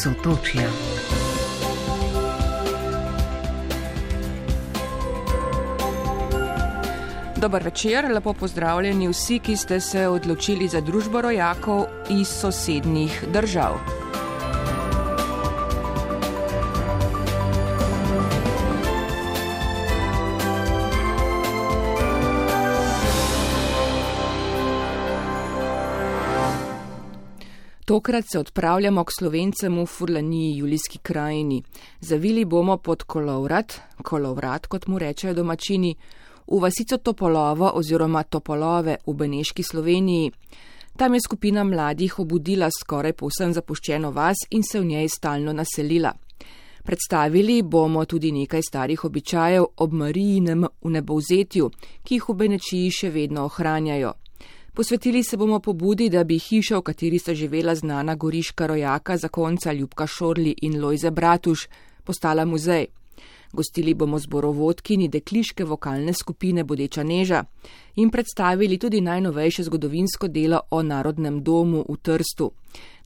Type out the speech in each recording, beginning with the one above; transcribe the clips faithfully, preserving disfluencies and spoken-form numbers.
Sotočja. Dober večer, lepo pozdravljeni vsi, ki ste se odločili za družbo rojakov iz sosednjih držav. Tokrat se odpravljamo k Slovencem v Furlaniji, Julijski krajini. Zavili bomo pod Kolovrat, Kolovrat, kot mu rečejo domačini, v vasico Topolovo oziroma Topolove v Beneški Sloveniji. Tam je skupina mladih obudila skoraj povsem zapuščeno vas in se v njej stalno naselila. Predstavili bomo tudi nekaj starih običajev ob Marijinem vnebovzetju, ki jih v Benečiji še vedno ohranjajo. Posvetili se bomo pobudi, da bi hiša, v kateri sta živela znana goriška rojaka zakonca Ljubka Šorli in Lojze Bratuš, postala muzej. Gostili bomo zborovodkinji dekliške vokalne skupine Bodeča Neža in predstavili tudi najnovejše zgodovinsko delo o Narodnem domu v Trstu.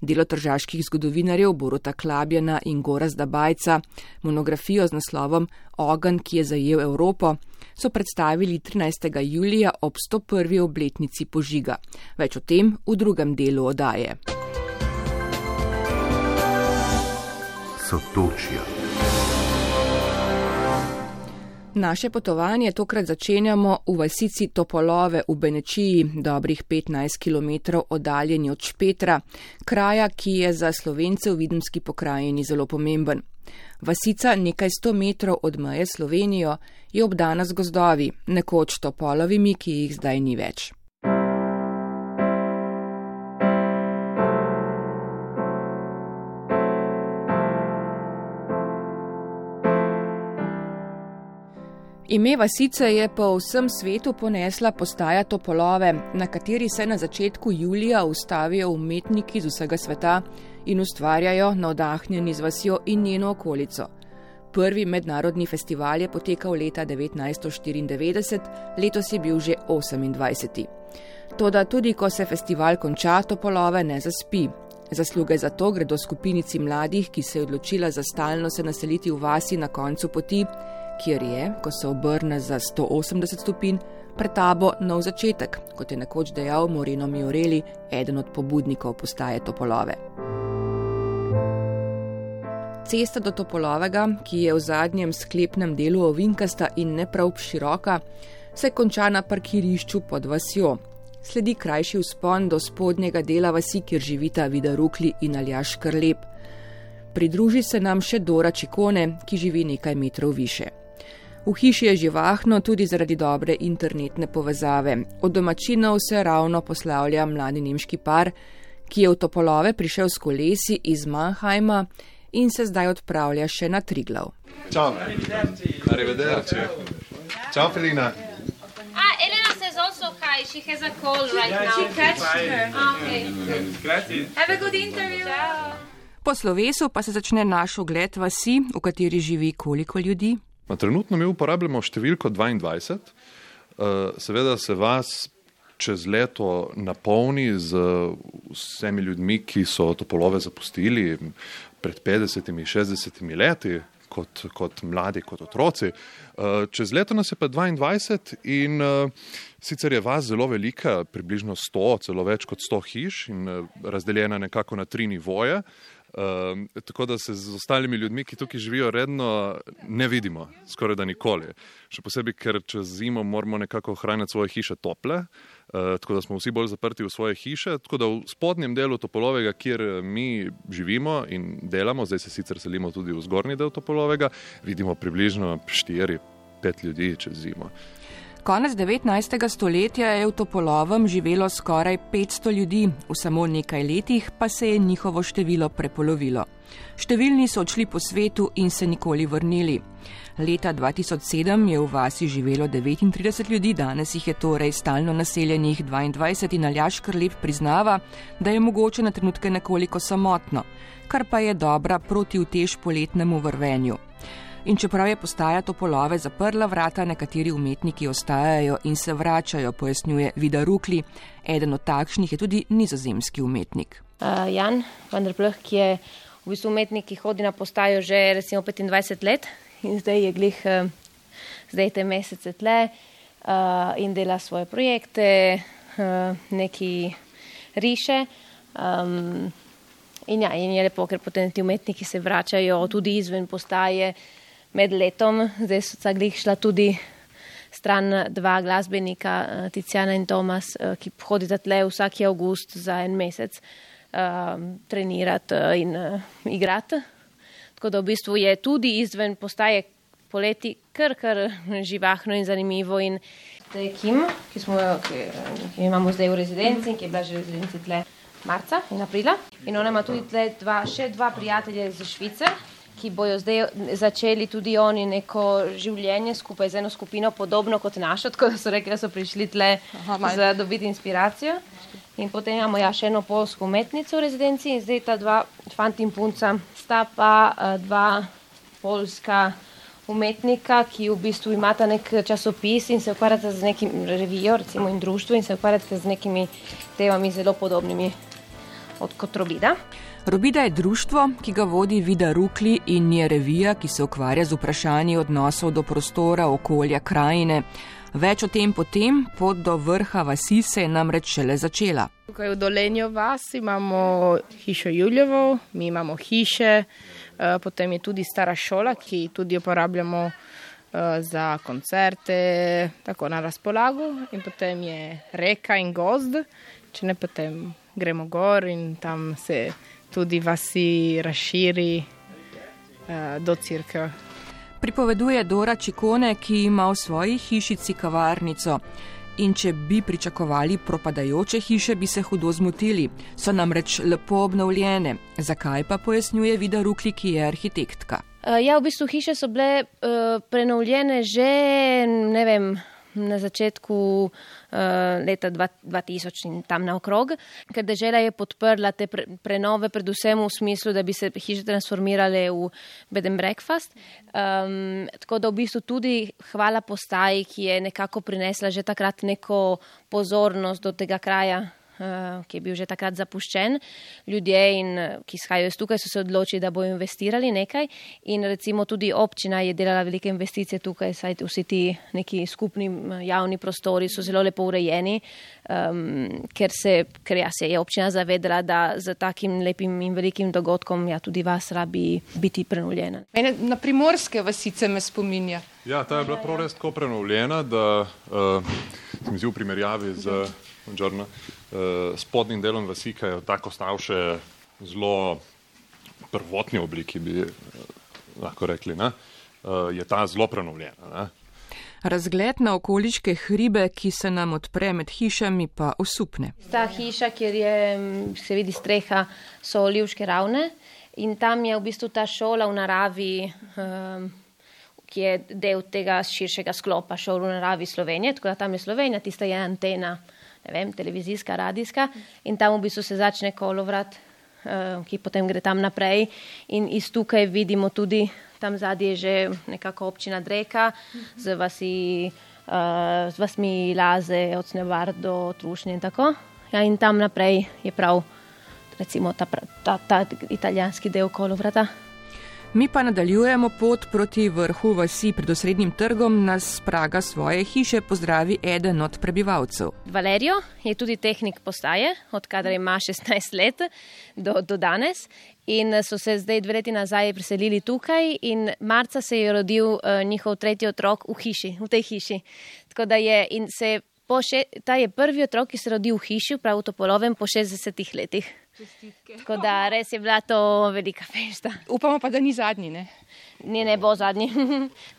Delo tržaških zgodovinarjev Boruta Klabjana in Gorazda Bajca, monografijo z naslovom Ogenj, ki je zajel Evropo, so predstavili trinajstega julija ob sto prvi obletnici požiga. Več o tem v drugem delu oddaje. Sotočja. Naše potovanje tokrat začenjamo v vasici Topolove v Benečiji, dobrih petnajst kilometrov oddaljeni od Špetra, kraja, ki je za Slovence v Videmski pokrajini zelo pomemben. Vasica, nekaj sto metrov od meje Slovenijo, je obdana z gozdovi, nekoč topolovimi, ki jih zdaj ni več. Ime vasice je po vsem svetu ponesla postaja Topolove, na kateri se na začetku julija ustavijo umetniki z vsega sveta in ustvarjajo navdahnjeni z vasjo in njeno okolico. Prvi mednarodni festival je potekal leta devetnajststo štiriindevetdeset, letos je bil že osemindvajseti. Toda tudi ko se festival konča, Topolove ne zaspi. Zasluge za to gredo skupinici mladih, ki se je odločila za stalno se naseliti v vasi na koncu poti, kjer je, ko se obrne za sto osemdeset stopinj, pred tabo nov začetek, kot je nekoč dejal Moreno Mioreli, eden od pobudnikov postaje Topolove. Cesta do Topolovega, ki je v zadnjem sklepnem delu ovinkasta in ne prav široka, se konča na parkirišču pod vasjo. Sledi krajši vzpon do spodnjega dela vasi, kjer živita Vida Rukli in Aljaž Škrlep. Pridruži se nam še Dora Čikone, ki živi nekaj metrov više. V hiši je živahno tudi zaradi dobre internetne povezave. Od domačinov se ravno poslavlja mladi nemški par, ki je v Topolove prišel s kolesi iz Mannheima in se zdaj odpravlja še na Triglav. Čau. Arrivederci. Čau, Felina. Ah, Elena says also hi. She has a cold right now. She catched her. Okay. Have a good interview. Ciao. Po slovesu pa se začne naš ogled vasi, v kateri živi koliko ljudi. Trenutno mi uporabljamo številko dvaindvajset. Seveda se vas čez leto napolni z vsemi ljudmi, ki so Topolove zapustili pred petdesetimi, šestdesetimi leti, kot, kot mladi, kot otroci. Čez leto nas je pa dvaindvajset in sicer je vas zelo velika, približno sto, celo več kot sto hiš in razdeljena nekako na tri nivoje. Uh, tako da se z ostalimi ljudmi, ki tukaj živijo redno, ne vidimo, skoraj da nikoli. Še posebej, ker čez zimo moramo nekako ohranjati svoje hiše tople, uh, tako da smo vsi bolj zaprti v svoje hiše. Tako da v spodnjem delu Topolovega, kjer mi živimo in delamo, zdaj se sicer selimo tudi v zgornji del Topolovega, vidimo približno štiri pet ljudi čez zimo. Konec devetnajstega stoletja je v Topolovem živelo skoraj petsto ljudi, v samo nekaj letih pa se je njihovo število prepolovilo. Številni so odšli po svetu in se nikoli vrnili. Leta dva tisoč sedem je v vasi živelo devetintrideset ljudi, danes jih je torej stalno naseljenih dvaindvajset in Aljaž Škrlep priznava, da je mogoče na trenutke nekoliko samotno, kar pa je dobra protiutež poletnemu vrvenju. In čeprav je postaja Topolove zaprla vrata, nekateri umetniki ostajajo in se vračajo, pojasnjuje Vida Rukli. Eden od takšnih je tudi nizozemski umetnik. Uh, Jan van der Pluh, ki je v bistvu umetnik, ki hodi na postajo že recimo petindvajset let in zdaj je glih, zdaj te mesece tle uh, in dela svoje projekte, uh, neki riše. Um, in ja, in je lepo, ker potem ti umetniki se vračajo tudi izven postaje med letom. Zdaj so glih šla tudi stran dva glasbenika, Tiziana in Tomas, ki hodita tle vsaki avgust za en mesec uh, trenirati in uh, igrati. Tako da v bistvu je tudi izven postaje poleti kar, kar živahno in zanimivo. In zdaj Kim, ki, smo, ki, ki imamo zdaj v rezidenci, ki je bila že v rezidenci tle marca in aprila. In ona ima tudi tle dva, še dva prijatelja iz Švice, ki bojo zdaj začeli tudi oni neko življenje skupaj z eno skupino, podobno kot našo, tako da so rekli, da so prišli tle Aha, za dobiti inspiracijo. In potem imamo ja še eno polsko umetnico v rezidenci in zdaj ta dva fanti in punca sta pa uh, dva polska umetnika, ki v bistvu imata nek časopis in se ukvarjata z nekim revijo, recimo in društvo in se ukvarjata z nekimi temami zelo podobnimi od kot Robida. Robida je društvo, ki ga vodi Vida Rukli in je revija, ki se ukvarja z vprašanji odnosov do prostora, okolja, krajine. Več o tem potem, pot do vrha vasi se je namreč šele začela. Tukaj v Dolenjo vas imamo hišo Juljevo, mi imamo hiše, potem je tudi stara šola, ki tudi uporabljamo za koncerte, tako na razpolago, in potem je reka in gozd, če ne potem gremo gor in tam se tudi vasi razširi uh, do Cerkve. Pripoveduje Dora Čikone, ki ima v svoji hišici kavarnico. In če bi pričakovali propadajoče hiše, bi se hudo zmotili. So namreč lepo obnovljene. Zakaj pa, pojasnjuje Vida Rukli, ki je arhitektka. Uh, ja, v bistvu hiše so bile uh, prenovljene že, ne vem, na začetku uh, leta dva tisoč in tam naokrog, ker dežela je podprla te pre, prenove, predvsem v smislu, da bi se hiše transformirale v bed and breakfast. Um, tako da v bistvu tudi hvala postaji, ki je nekako prinesla že takrat neko pozornost do tega kraja, uh, ki je bil že takrat zapuščen. Ljudje, in, ki izhajajo iz tukaj, so se odločili, da bodo investirali nekaj in recimo tudi občina je delala velike investicije tukaj, saj vsi ti neki skupni javni prostori so zelo lepo urejeni, um, ker, se, ker ja, se je občina zavedala, da z takim lepim in velikim dogodkom ja, tudi vas rabi biti prenovljena. Mene na primorske vasice me spominja. Ja, ta je bila prav res tako prenovljena, da uh, sem zdi v primerjavi z Buongiorno, uh, spodnjim delom vasi, ki je tako ostal še zelo prvotni obliki, bi lahko rekli, ne? Uh, je ta zelo prenovljena. Ne? Razgled na okoliške hribe, ki se nam odpre med hišami, pa osupne. Ta hiša, kjer je, se vidi streha, so Olivške ravne in tam je v bistvu ta šola v naravi, um, ki je del tega širšega sklopa šol v naravi Slovenije, tako da tam je Slovenija, tista je antena, ne vem, televizijska, radijska in tam v bistvu se začne kolovrat, uh, ki potem gre tam naprej in iz tukaj vidimo tudi, tam zadnje je že nekako občina Dreka, z vasi, uh, z vasmi Laze, od Snevar do Trušnje in tako. Ja, in tam naprej je prav, recimo, ta, ta, ta italijanski del kolovrata. Mi pa nadaljujemo pot proti vrhu vasi. Pred osrednjim trgom nas s praga svoje hiše pozdravi eden od prebivalcev. Valerio je tudi tehnik postaje, od kadar ima šestnajst let do, do danes. In so se zdaj dve leti nazaj preselili tukaj in marca se je rodil uh, njihov tretji otrok v hiši, v tej hiši. Tako da je, in se po še, ta je prvi otrok, ki se rodil v hiši, prav v Topolovem, po šestdesetih letih. Čestitke. Tako da res je bila to velika fešta. Upamo pa, da ni zadnji, ne? Ne, ne bo zadnji.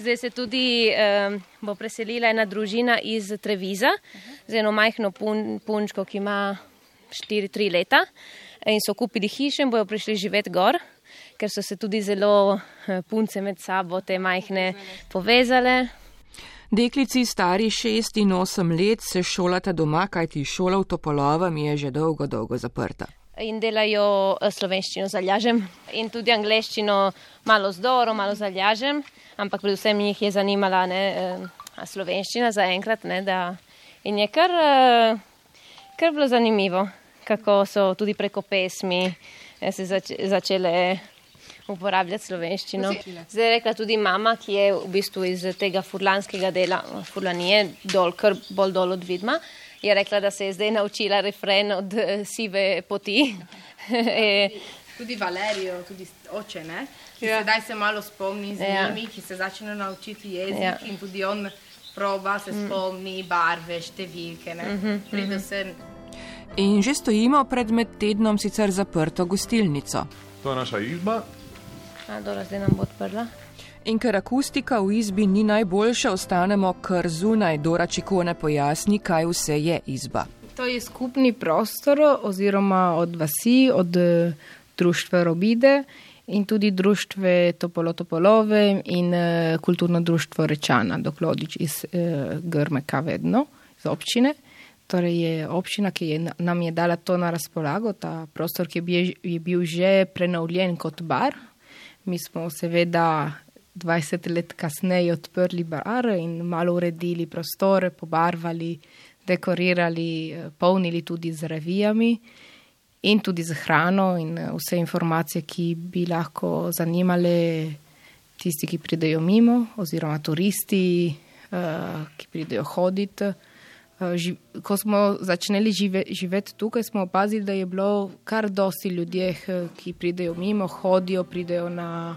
Zdaj se tudi um, bo preselila ena družina iz Treviza, z eno majhno pun, punčko, ki ima štiri tri leta. In so kupili hiše in bojo prišli živeti gor, ker so se tudi zelo punce med sabo, te majhne, povezale. Deklici stari šest in osem let se šolata doma, kajti šola v Topolovem je že dolgo, dolgo zaprta. In delajo slovenščino z Aljažem in tudi angleščino malo z Doro, malo z Aljažem, ampak predvsem jih je zanimala ne, slovenščina zaenkrat. Ne, da, in je kar, kar bilo zanimivo, kako so tudi preko pesmi se zač- začele uporabljati slovenščino. Zdaj je rekla tudi mama, ki je v bistvu iz tega furlanskega dela, Furlanije, dol, kar bolj dol od Vidma, je rekla, da se je zdaj naučila refren od Sive poti. Tudi Valerijo, tudi oče, ne? Ki ja. Sedaj se malo spomni z ja. njimi, ki se začne naučiti jezik ja. in tudi on proba se spomni barve, številke, ne? Mm-hmm. Predvsem. In že stojimo pred med tednom sicer zaprto gostilnico. To je naša izba. A, dobro, zdaj nam bo odprla. In ker akustika v izbi ni najboljša, ostanemo kar zunaj. Dora Čikone pojasni, kaj vse je izba. To je skupni prostor oziroma od vasi, od društva Robide in tudi društve Topolo Topolove in uh, kulturno društvo Rečana, Doklodič iz uh, Grmeka vedno, iz občine. Torej je občina, ki je, nam je dala to na razpolago, ta prostor, ki je bil, je bil že prenovljen kot bar. Mi smo seveda dvajset let kasneje odprli bar in malo uredili prostore, pobarvali, dekorirali, polnili tudi z revijami in tudi z hrano in vse informacije, ki bi lahko zanimale tisti, ki pridejo mimo, oziroma turisti, ki pridejo hoditi. Ko smo začeli žive, živeti tukaj, smo opazili, da je bilo kar dosti ljudje, ki pridejo mimo, hodijo, pridejo na,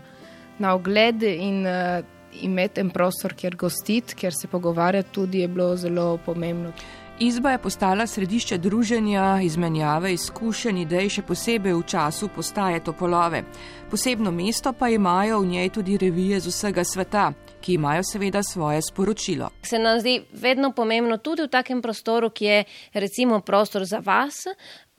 na ogled in uh, imeti en prostor, kjer gostiti, kjer se pogovarjati, tudi je bilo zelo pomembno. Izba je postala središče druženja, izmenjave, izkušenj, idej, še posebej v času postaje Topolove. Posebno mesto pa imajo v njej tudi revije z vsega sveta, ki imajo seveda svoje sporočilo. Se nam zdi vedno pomembno tudi v takem prostoru, ki je recimo prostor za vas,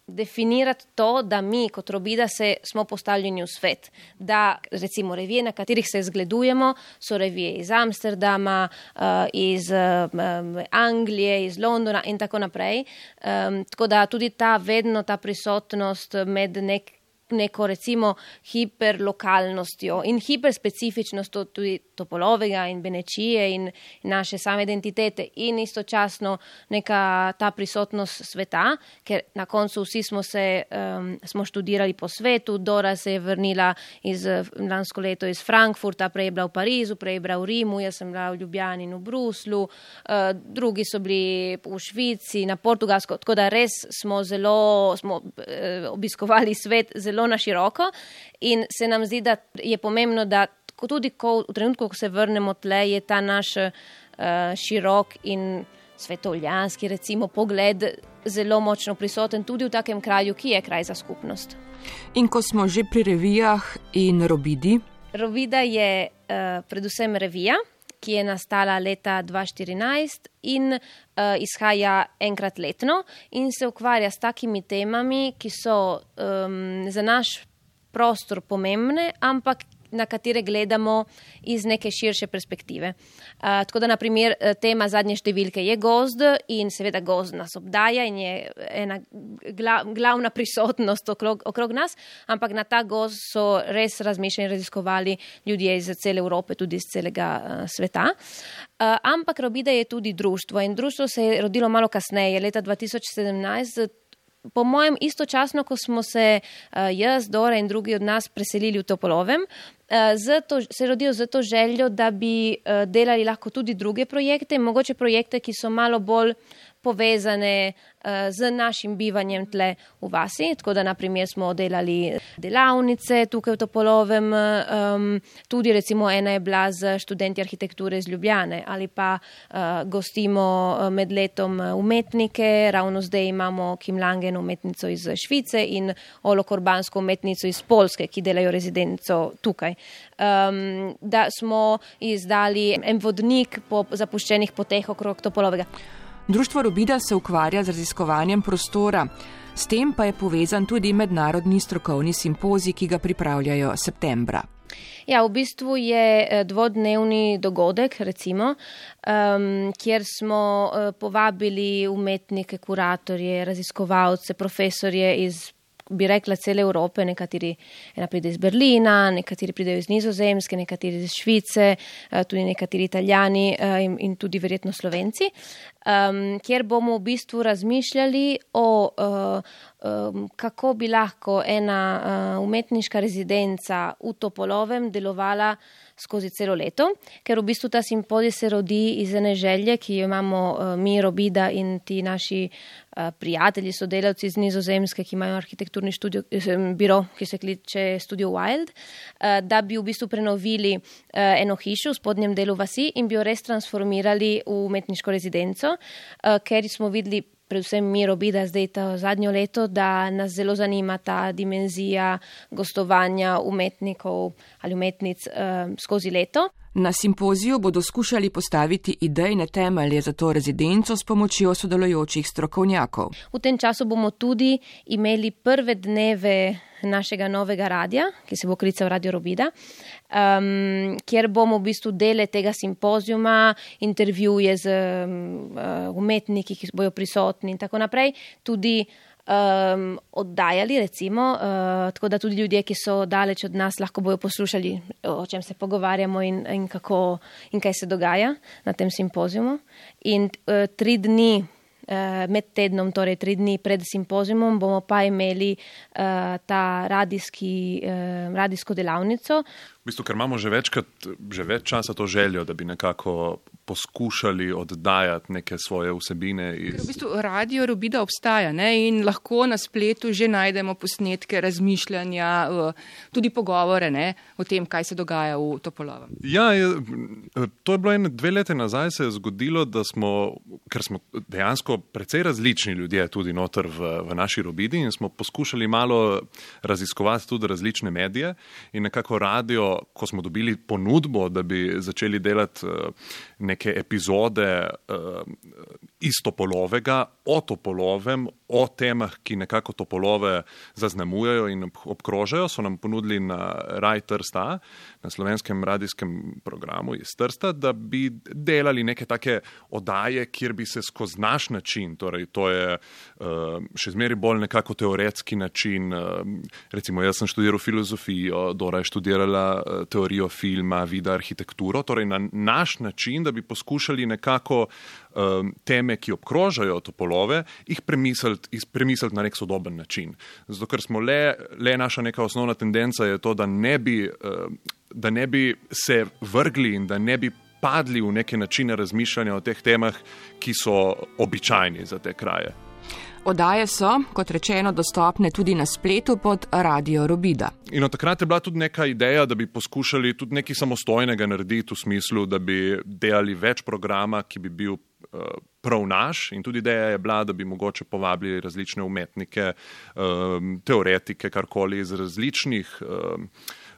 definirati to, da mi kot Robida se smo postavljeni v svet. Da recimo revije, na katerih se zgledujemo, so revije iz Amsterdama, iz Anglije, iz Londona in tako naprej. Tako da tudi ta vedno ta prisotnost med nek neko recimo hiperlokalnostjo in hiperspecifičnostjo tudi Topolovega in Benečije in naše same identitete in istočasno neka ta prisotnost sveta, ker na koncu vsi smo se um, smo študirali po svetu. Dora se je vrnila iz lansko leto iz Frankfurta, prej je bila v Parizu, prej je bila v Rimu, jaz sem bila v Ljubljani in v Bruslu, uh, drugi so bili v Švici, na Portugalsko, tako da res smo zelo smo uh, obiskovali svet zelo na široko in se nam zdi, da je pomembno, da tudi ko, v trenutku, ko se vrnemo tle, je ta naš uh, širok in svetovljanski recimo pogled zelo močno prisoten tudi v takem kraju, ki je kraj za skupnost. In ko smo že pri revijah in Robidi? Robida je uh, predvsem revija, ki je nastala leta dva tisoč štirinajst in uh, izhaja enkrat letno in se ukvarja s takimi temami, ki so um, za naš prostor pomembne, ampak na katere gledamo iz neke širše perspektive. Uh, tako da, na primer, tema zadnje številke je gozd in seveda gozd nas obdaja in je ena gla, glavna prisotnost okrog, okrog nas, ampak na ta gozd so res razmišljali in raziskovali ljudje iz cele Evrope, tudi iz celega uh, sveta. Uh, ampak Robida je tudi društvo in društvo se je rodilo malo kasneje, leta dva tisoč sedemnajst, po mojem istočasno, ko smo se uh, jaz, Dora in drugi od nas preselili v Topolovem, uh, zato, se rodijo z to željo, da bi uh, delali lahko tudi druge projekte, mogoče projekte, ki so malo bolj povezane uh, z našim bivanjem tle v vasi. Tako da, na primer, smo delali delavnice tukaj v Topolovem, um, tudi recimo ena je bila z študenti arhitekture iz Ljubljane ali pa uh, gostimo med letom umetnike, ravno zdaj imamo Kim Langen umetnico iz Švice in Olo Korbansko umetnico iz Polske, ki delajo rezidenco tukaj. Um, da smo izdali en vodnik po zapuščenih poteh okrog Topolovega. Društvo Robida se ukvarja z raziskovanjem prostora. S tem pa je povezan tudi mednarodni strokovni simpozij, ki ga pripravljajo septembra. Ja, v bistvu je dvodnevni dogodek, recimo, um, kjer smo uh, povabili umetnike, kuratorje, raziskovalce, profesorje iz, bi rekla, cele Evrope. Nekateri ena pride iz Berlina, nekateri pridejo iz Nizozemske, nekateri iz Švice, tudi nekateri Italijani in, in tudi verjetno Slovenci, um, kjer bomo v bistvu razmišljali o uh, kako bi lahko ena umetniška rezidenca v Topolovem delovala skozi celo leto, ker v bistvu ta simpozij se rodi iz ene želje, ki jo imamo mi, Robida in ti naši prijatelji, sodelavci iz Nizozemske, ki imajo arhitekturni študio, biro, ki se kliče Studio Wild, da bi v bistvu prenovili eno hišo v spodnjem delu vasi in bi jo res transformirali v umetniško rezidenco, ker smo videli predvsem mi, Robida, zdaj to zadnjo leto, da nas zelo zanima ta dimenzija gostovanja umetnikov ali umetnic uh, skozi leto. Na simpoziju bodo skušali postaviti idejne temelje za to rezidenco s pomočjo sodelujočih strokovnjakov. V tem času bomo tudi imeli prve dneve našega novega radija, ki se bo klical Radio Robida, um, kjer bomo v bistvu dele tega simpozijuma, intervjuje z um, umetniki, ki bojo prisotni in tako naprej, tudi Um, oddajali, recimo, uh, tako da tudi ljudje, ki so daleč od nas, lahko bojo poslušali, o čem se pogovarjamo in, in, kako, in kaj se dogaja na tem simpozijumu. In uh, tri dni uh, med tednom, torej tri dni pred simpozijumom, bomo pa imeli uh, ta radijski, uh, radijsko delavnico. V bistvu, ker imamo že večkrat, že več časa to željo, da bi nekako poskušali oddajati neke svoje vsebine. Iz... V bistvu Radio Robida obstaja, ne? In lahko na spletu že najdemo posnetke, razmišljanja, tudi pogovore, ne? O tem, kaj se dogaja v Topolovem. Ja, je, to je bilo ene dve leti nazaj, se je zgodilo, da smo, ker smo dejansko precej različni ljudje tudi noter v, v naši Robidi in smo poskušali malo raziskovati tudi različne medije in nekako radio, ko smo dobili ponudbo, da bi začeli delati neke epizode iz Topolovega, o Topolovem, o temah, ki nekako Topolove zaznamujejo in obkrožajo, so nam ponudili na Raj Trsta, na slovenskem radijskem programu iz Trsta, da bi delali neke take oddaje, kjer bi se skozi naš način, torej to je še zmeri bolj nekako teoretski način, recimo jaz sem študiral filozofijo, Dora je študirala teorijo filma, videa, arhitekturo, torej na naš način, da bi poskušali nekako um, teme, ki obkrožajo Topolove, jih premisliti, premisliti na nek sodoben način. Zato, ker smo le, le naša neka osnovna tendenca je to, da ne bi, um, da ne bi se vrgli in da ne bi padli v neke načine razmišljanja o teh temah, ki so običajni za te kraje. Oddaje so, kot rečeno, dostopne tudi na spletu pod Radio Robida. In od takrat je bila tudi neka ideja, da bi poskušali tudi nekaj samostojnega narediti v smislu, da bi delali več programa, ki bi bil uh, prav naš. In tudi ideja je bila, da bi mogoče povabili različne umetnike, um, teoretike, karkoli iz različnih um,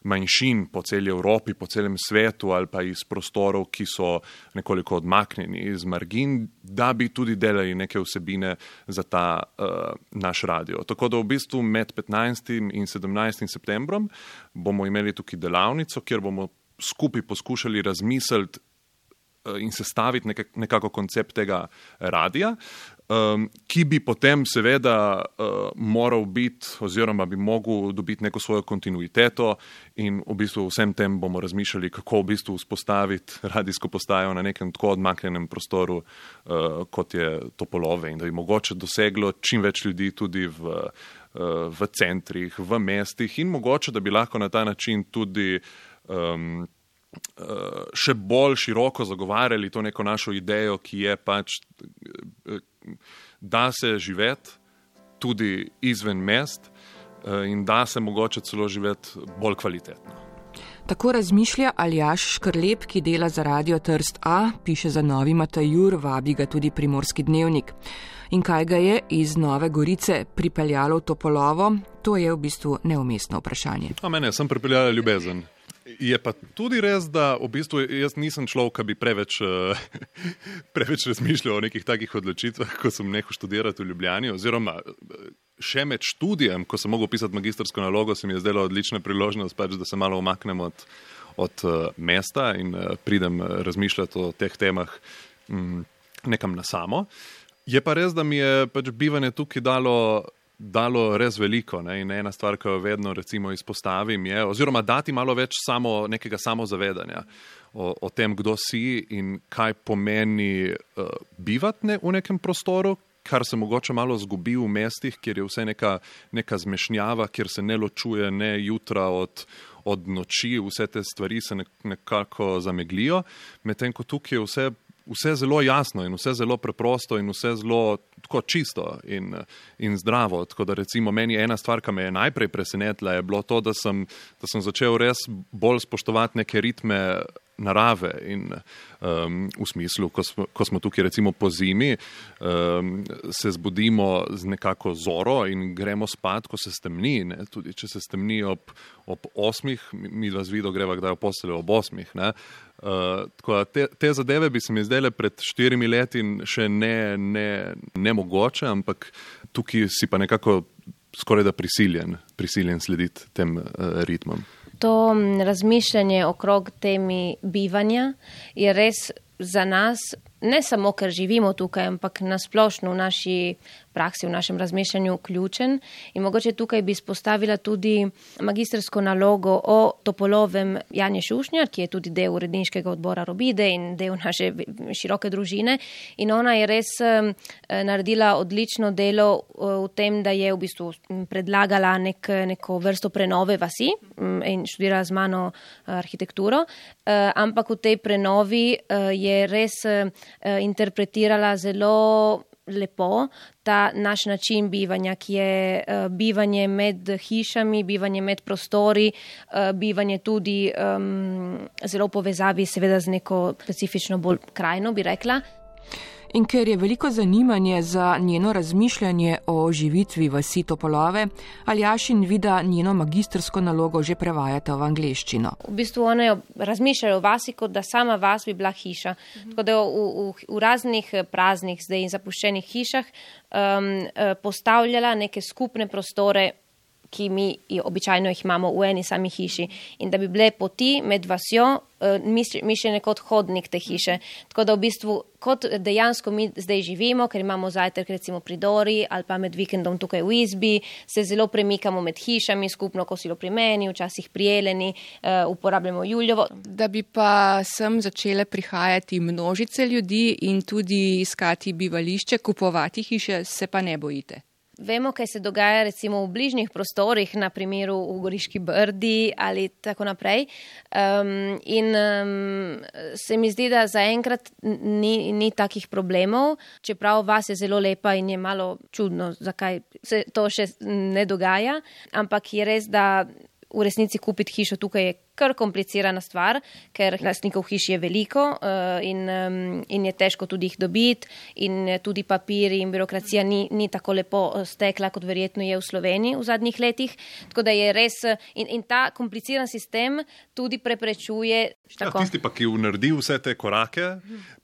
manjšin po celi Evropi, po celem svetu ali pa iz prostorov, ki so nekoliko odmaknjeni iz margin, da bi tudi delali neke vsebine za ta uh, naš radio. Tako da v bistvu med petnajstim in sedemnajstim septembrom bomo imeli tukaj delavnico, kjer bomo skupaj poskušali razmisliti uh, in sestaviti nekak, nekako koncept tega radia, um, ki bi potem seveda uh, moral biti oziroma bi mogel dobiti neko svojo kontinuiteto in v bistvu vsem tem bomo razmišljali, kako v bistvu vzpostaviti radijsko postajo na nekem tako odmaknjenem prostoru, uh, kot je Topolove in da bi mogoče doseglo čim več ljudi tudi v, uh, v centrih, v mestih in mogoče, da bi lahko na ta način tudi um, še bolj široko zagovarjali to neko našo idejo, ki je pač, da se živeti tudi izven mest in da se mogoče celo živeti bolj kvalitetno. Tako razmišlja Aljaž Škrlep, ki dela za Radio Trst A, piše za Novi Matajur, vabi ga tudi Primorski dnevnik. In kaj ga je iz Nove Gorice pripeljalo v Topolovo, to je v bistvu neumestno vprašanje. A mene sem pripeljala ljubezen. Je pa tudi res, da v bistvu jaz nisem človek, ki bi preveč, preveč razmišljal o nekih takih odločitvah, ko sem nehal študirati v Ljubljani, oziroma še med študijem, ko sem mogel pisati magistrsko nalogo, se mi je zdela odlična priložnost, pač, da se malo umaknem od, od mesta in pridem razmišljati o teh temah nekam na samo. Je pa res, da mi je pač bivanje tukaj dalo dalo res veliko, ne? In ena stvar, ki jo vedno recimo izpostavim je, oziroma dati malo več samo, nekega samozavedanja o, o tem, kdo si in kaj pomeni uh, bivati ne, v nekem prostoru, kar se mogoče malo zgubi v mestih, kjer je vse neka, neka zmešnjava, kjer se ne ločuje ne jutra od, od noči, vse te stvari se nekako zameglijo, medtem ko tukaj je vse vse zelo jasno in vse zelo preprosto in vse zelo tako čisto in, in zdravo. Tako da recimo meni ena stvar, ki me je najprej presenetila, je bilo to, da sem, da sem začel res bolj spoštovati neke ritme narave in um, v smislu, ko smo, ko smo tukaj recimo po zimi, um, se zbudimo z nekako zoro in gremo spat, ko se stemni, ne? Tudi če se stemni ob, ob osmih, mi dva z Vido greva kdaj v posteljo ob osmih, ne? Uh, tako da te, te zadeve bi se mi zdele pred štirimi leti še ne, ne, ne mogoče, ampak tukaj si pa nekako skoraj da prisiljen, prisiljen slediti tem uh, ritmom. To razmišljanje okrog temi bivanja je res za nas, ne samo ker živimo tukaj, ampak nasplošno v naši praksi, v našem razmišljanju ključen. In mogoče tukaj bi izpostavila tudi magistrsko nalogo o Topolovem Janje Šušnjar, ki je tudi del uredniškega odbora Robide in del naše široke družine. In ona je res naredila odlično delo v tem, da je v bistvu predlagala nek, neko vrsto prenove vasi in študirala z mano arhitekturo, ampak v tej prenovi je res interpretirala zelo lepo ta naš način bivanja, ki je uh, bivanje med hišami, bivanje med prostori, uh, bivanje tudi um, zelo v povezavi seveda z neko specifično bolj krajino, bi rekla. In ker je veliko zanimanje za njeno razmišljanje o živitvi vasi Topolove, Aljaž in Vida njeno magistrsko nalogo že prevajata v angleščino. V bistvu one razmišljajo o vasi, kot da sama vas bi bila hiša. Mhm. Tako da v, v, v raznih praznih zdaj in zapuščenih hišah um, postavljala neke skupne prostore, ki mi običajno jih imamo v eni sami hiši. In da bi bile poti med vasjo mišljene kot hodnik te hiše. Tako da v bistvu, kot dejansko mi zdaj živimo, ker imamo zajtrk recimo pri Dori ali pa med vikendom tukaj v izbi, se zelo premikamo med hišami, skupno kosilo pri meni, včasih pri Jeleni, uporabljamo Juljovo. Da bi pa sem začele prihajati množice ljudi in tudi iskati bivališče, kupovati hiše, se pa ne bojite. Vemo, kaj se dogaja recimo v bližnjih prostorih, na primeru v Goriški Brdi ali tako naprej. Um, in um, se mi zdi, da zaenkrat ni, ni takih problemov, čeprav vas je zelo lepa in je malo čudno, zakaj se to še ne dogaja, ampak je res, da v resnici kupiti hišo tukaj je kar komplicirana stvar, ker lastnikov hiš je veliko uh, in, um, in je težko tudi jih dobiti in tudi papiri in birokracija ni, ni tako lepo stekla, kot verjetno je v Sloveniji v zadnjih letih. Tako da je res, in, in ta kompliciran sistem tudi preprečuje. Ja, tisti pa, ki naredi vse te korake,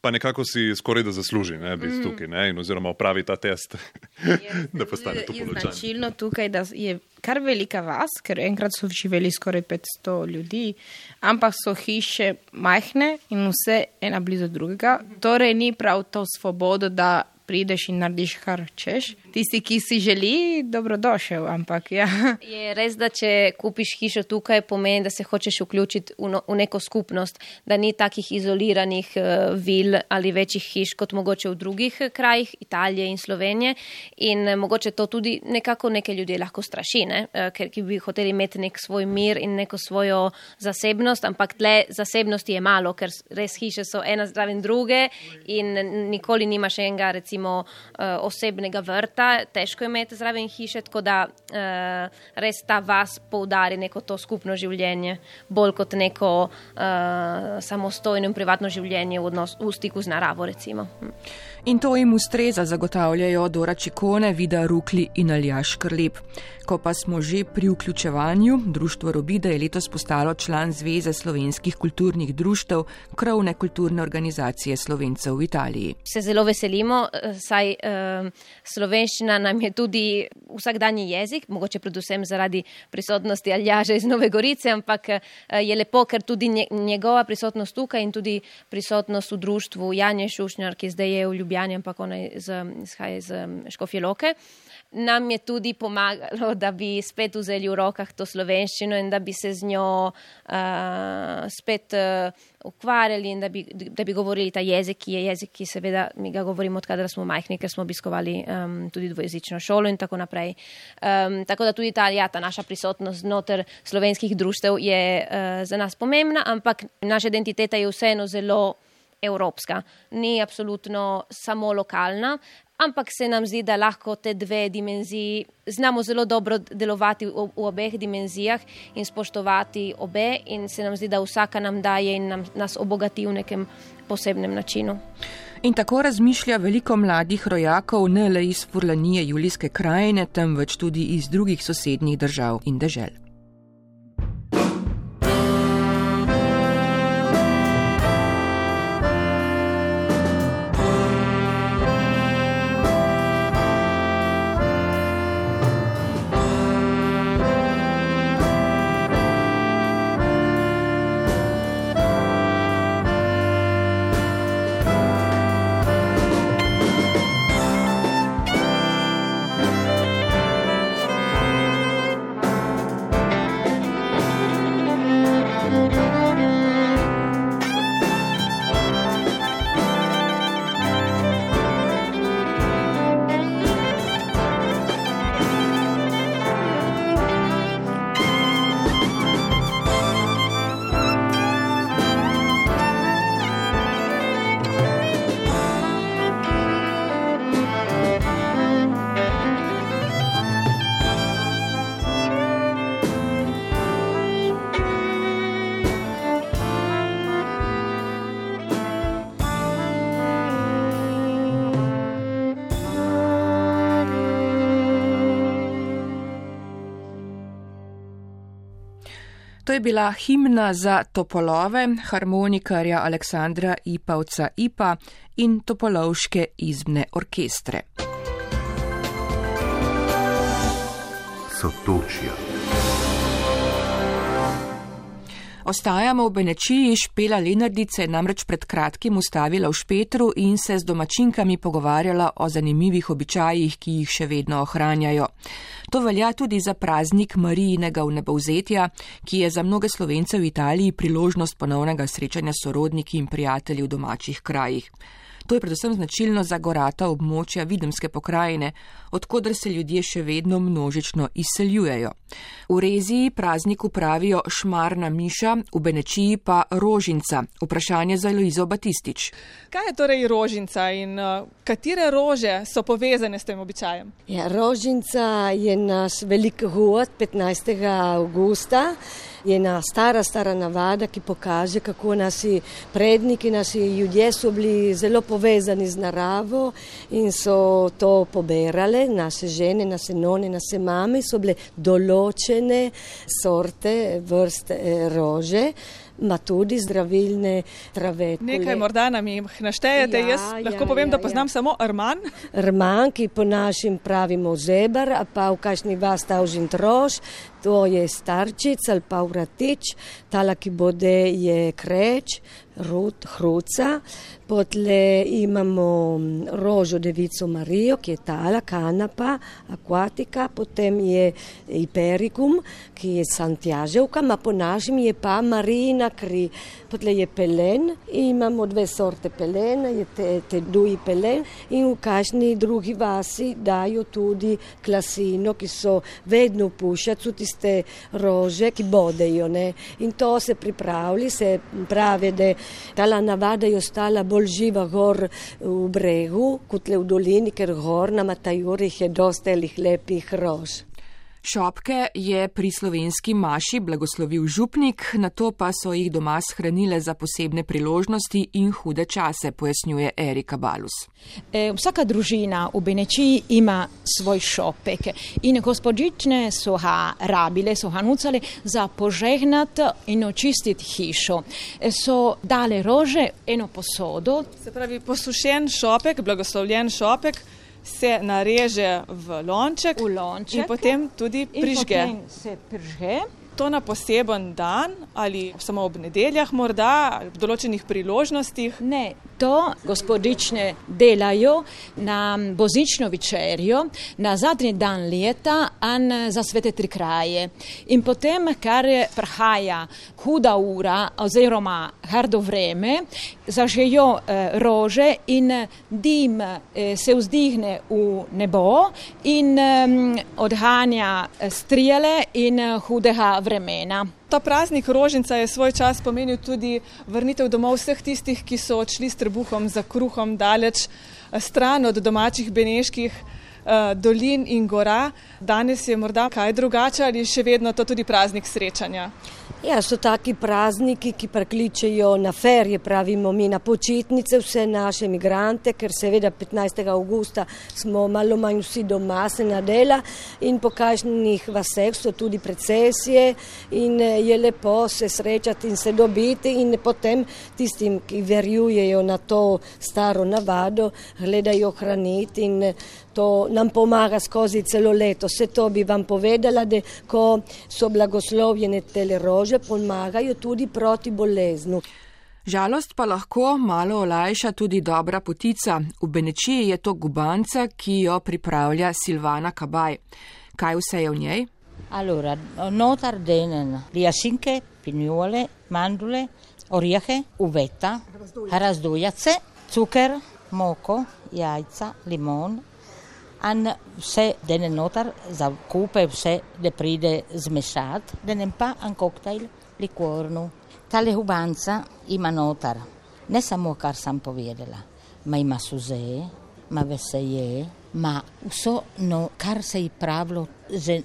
pa nekako si skoraj da zasluži, ne, biti mm. tukaj, ne, in oziroma opravi ta test, je, da postane to poločan. Je značilno tukaj, da je kar velika vas, ker enkrat so živeli skoraj petsto ljudi, ampak so hiše majhne in vse ena blizu drugega. Torej ni prav to svobodo, da prideš in narediš kar češ. Tisti, ki si želi, dobrodošel, ampak ja. Je res, da če kupiš hišo tukaj, pomeni, da se hočeš vključiti v, no, v neko skupnost, da ni takih izoliranih uh, vil ali večjih hiš, kot mogoče v drugih krajih, Italije in Slovenije. In uh, mogoče to tudi nekako neke ljudje lahko straši, ne? Uh, ker ki bi hoteli imeti nek svoj mir in neko svojo zasebnost, ampak tle zasebnosti je malo, ker res hiše so ena zraven druge in nikoli nimaš enega, recimo, recimo osebnega vrta, težko je imeti zraven hiše, tako da uh, res ta vas poudari neko to skupno življenje, bolj kot neko uh, samostojno in privatno življenje v, odnos, v stiku z naravo, recimo. In to jim ustreza, zagotavljajo Dora Čikone, Vida Rukli in Aljaž Škrlep. Ko pa smo že pri vključevanju, društvo Robide je letos postalo član Zveze slovenskih kulturnih društev, krovne kulturne organizacije Slovencev v Italiji. Se zelo veselimo, saj uh, slovenščina nam je tudi vsakdanji jezik, mogoče predvsem zaradi prisotnosti Aljaža iz Nove Gorice, ampak uh, je lepo, ker tudi njegova prisotnost tukaj in tudi prisotnost v društvu Janje Šušnjar, ki zdaj je v Ljubljani, ampak ona izhaja iz Škofje Loke, nam je tudi pomagalo, da bi spet vzeli v rokah to slovenščino in da bi se z njo uh, spet uh, ukvarjali in da bi, da bi govorili ta jezik, ki je jezik, ki seveda mi ga govorimo odkadar smo majhni, ker smo obiskovali um, tudi dvojezično šolo in tako naprej. Um, tako da tudi ta, ja, ta naša prisotnost znotraj slovenskih društev je uh, za nas pomembna, ampak naša identiteta je vseeno zelo evropska, ni absolutno samo lokalna, ampak se nam zdi, da lahko te dve dimenziji znamo zelo dobro delovati v, v obeh dimenzijah in spoštovati obe in se nam zdi, da vsaka nam daje in nam, nas obogati v nekem posebnem načinu. In tako razmišlja veliko mladih rojakov ne le iz Furlanije Julijske krajine, temveč tudi iz drugih sosednjih držav in dežel. To je bila himna za topolove, harmonikarja Aleksandra Ipavca Ipa in topolovške izbne orkestre. Sotočja. Ostajamo v Benečiji, Špela Lenardice je namreč pred kratkim ustavila v Špetru in se z domačinkami pogovarjala o zanimivih običajih, ki jih še vedno ohranjajo. To velja tudi za praznik Marijinega vnebovzetja, ki je za mnoge Slovence v Italiji priložnost ponovnega srečanja s sorodniki in prijatelji v domačih krajih. To je predvsem značilno za gorata območja Videmske pokrajine, odkoder se ljudje še vedno množično izseljujejo. V Reziji prazniku pravijo šmarna miša, v Benečiji pa rožinca. Vprašanje za Eloizo Batistič. Kaj je torej rožinca in uh, katere rože so povezane s tem običajem? Ja, rožinca je naš velik hod petnajstega avgusta. Je ena stara, stara navada, ki pokaže, kako naši predniki, naši ljudje so bili zelo povezani z naravo in so to poberale. Naše žene, naše none, naše mame so bile določene sorte, vrste rože, ma tudi zdravilne trave. Nekaj morda nam jih naštejete, ja, jaz lahko ja, povem, ja, da poznam ja. samo rman. Rman, ki po našim pravimo zebar, a pa v kakšni vas tavžin troš, to je starčic ali pa vratič, tala, ki bode je kreč, rut, hruca. Potle imamo rožo devico Marijo, ki je tala, kanapa, akvatika, potem je Iperikum, ki je Santiaževka, ma po našim je pa Marijina kri. Potle je pelen, imamo dve sorte pelena, je te, te duji pelen in v kažni drugi vasi dajo tudi klasino, ki so vedno pušac, tiste rože, ki bodejo, ne. In to se pripravili, se pravi, da tala navada je ostala bolj živa gor v bregu, kot le v dolini, ker gor na Matajurih je dosta lepih rož. Šopke je pri slovenski maši blagoslovil župnik, nato pa so jih doma shranile za posebne priložnosti in hude čase, pojasnjuje Erika Balus. E, vsaka družina v Benečiji ima svoj šopek in gospodične so ga rabile, so ga nucale za požegnat in očistit hišo. E, so dale rože, eno posodo. Se pravi, posušen šopek, blagoslovljen šopek, se nareže v lonček, v lonček in potem tudi prižge. In potem se prižge. To na poseben dan ali samo ob nedeljah morda, ali v določenih priložnostih? Ne, leto gospodične delajo na božično večerjo, na zadnji dan leta in za svete tri kraje. In potem, kar prihaja huda ura oziroma hardo vreme, zažejo eh, rože in dim eh, se vzdihne v nebo in eh, odhanja strijele in hudega vremena. Ta praznik rožnica je svoj čas pomenil tudi vrnitev domov vseh tistih, ki so odšli s trebuhom za kruhom daleč stran od domačih beneških uh, dolin in gora. Danes je morda kaj drugače ali še vedno to tudi praznik srečanja? Ja, so taki prazniki, ki prekličejo na ferje, pravimo mi, na počitnice vse naše migrante, ker seveda petnajstega avgusta smo malo manj vsi doma, se na dela in po kakšnih vaseh so tudi procesije in je lepo se srečati in se dobiti in potem tistim, ki verjujejo na to staro navado, gledajo hraniti in to nam pomaga skozi celo leto. Vse to bi vam povedala, da ko so blagoslovljene tele rože, pomagajo tudi proti boleznu. Žalost pa lahko malo olajša tudi dobra potica. V Benečiji je to gubanca, ki jo pripravlja Silvana Kabaj. Kaj vse je v njej? Allora, notar denen jasinke, pinjole, mandule, orjehe, uveta, razdujace, cuker, moko, jajca, limon, in vse dene notar za kupe, vse da pride zmešat, denem pa en koktajl likornu. Tale gubanca ima notar, ne samo kar sam povedala, ma ima suze, ma veseje, ma vso, no, kar se je pravilo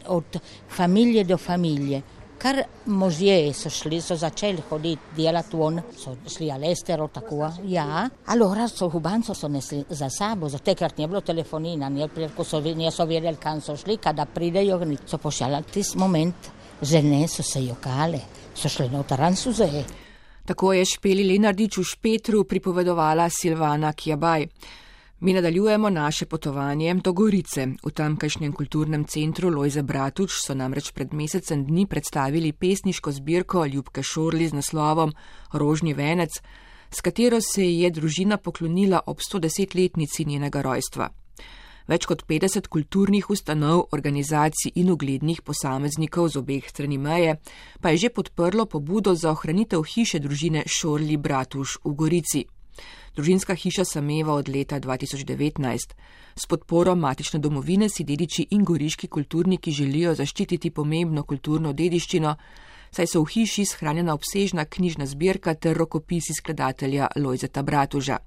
od familije do familije. Kar možje so šli, so začeli hoditi, delati von, so šli alestero, tako, ja. Allora so gubanco so nesli za sabo, za tekrat nije bilo telefonina, nije, ko so, nije so vedeli, kam so šli, kada pridejo, so pošljali tis moment, žene so se jokale, so šli notaran suze. Tako je Špeli Lenardič v Špetru pripovedovala Silvana Kjabaj. Mi nadaljujemo naše potovanje do Gorice. V tamkajšnjem kulturnem centru Lojze Bratuš so namreč pred mesecem dni predstavili pesniško zbirko Ljubke Šorli z naslovom Rožni venec, s katero se je družina poklonila ob stodesetletnici njenega rojstva. Več kot petdeset kulturnih ustanov, organizacij in uglednih posameznikov z obeh strani meje pa je že podprlo pobudo za ohranitev hiše družine Šorli Bratuš v Gorici. Družinska hiša sameva od leta dva tisoč devetnajst. S podporo matične domovine si dediči in goriški kulturniki želijo zaščititi pomembno kulturno dediščino, saj so v hiši shranjena obsežna knjižna zbirka ter rokopisi skladatelja Lojzeta Bratuža.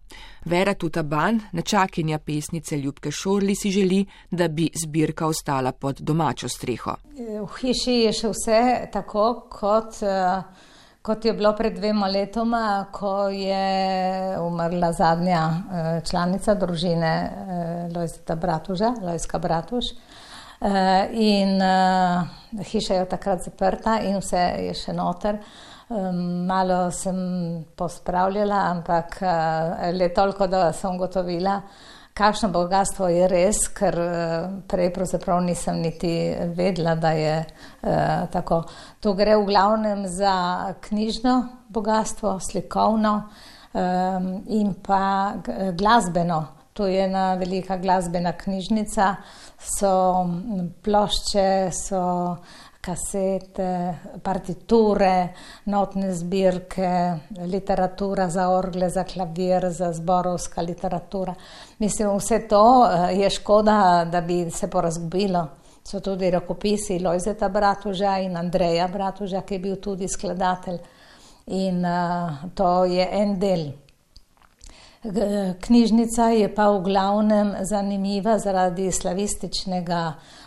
Vera Tutaban, nečakinja pesnice Ljubke Šorli, si želi, da bi zbirka ostala pod domačo streho. V hiši je še vse tako, kot... Uh... Kot je bilo pred dvema letoma, ko je umrla zadnja članica družine Lojzeta Bratuža, Lojzka Bratuž. In hiša je takrat zaprta in vse je še noter. Malo sem pospravljala, ampak le toliko, da sem ugotovila, kakšno bogatstvo je res, ker prej pravzaprav nisem niti vedela, da je eh, tako. To gre v glavnem za knjižno bogatstvo, slikovno eh, in pa glasbeno. To je ena velika glasbena knjižnica, so plošče, so kasete, partiture, notne zbirke, literatura za orgle, za klavir, za zborovska literatura. Mislim, vse to je škoda, da bi se porazgubilo. So tudi rokopisi Lojzeta Bratuža in Andreja Bratuža, ki je bil tudi skladatelj. In uh, to je en del. Knjižnica je pa v glavnem zanimiva zaradi slavističnega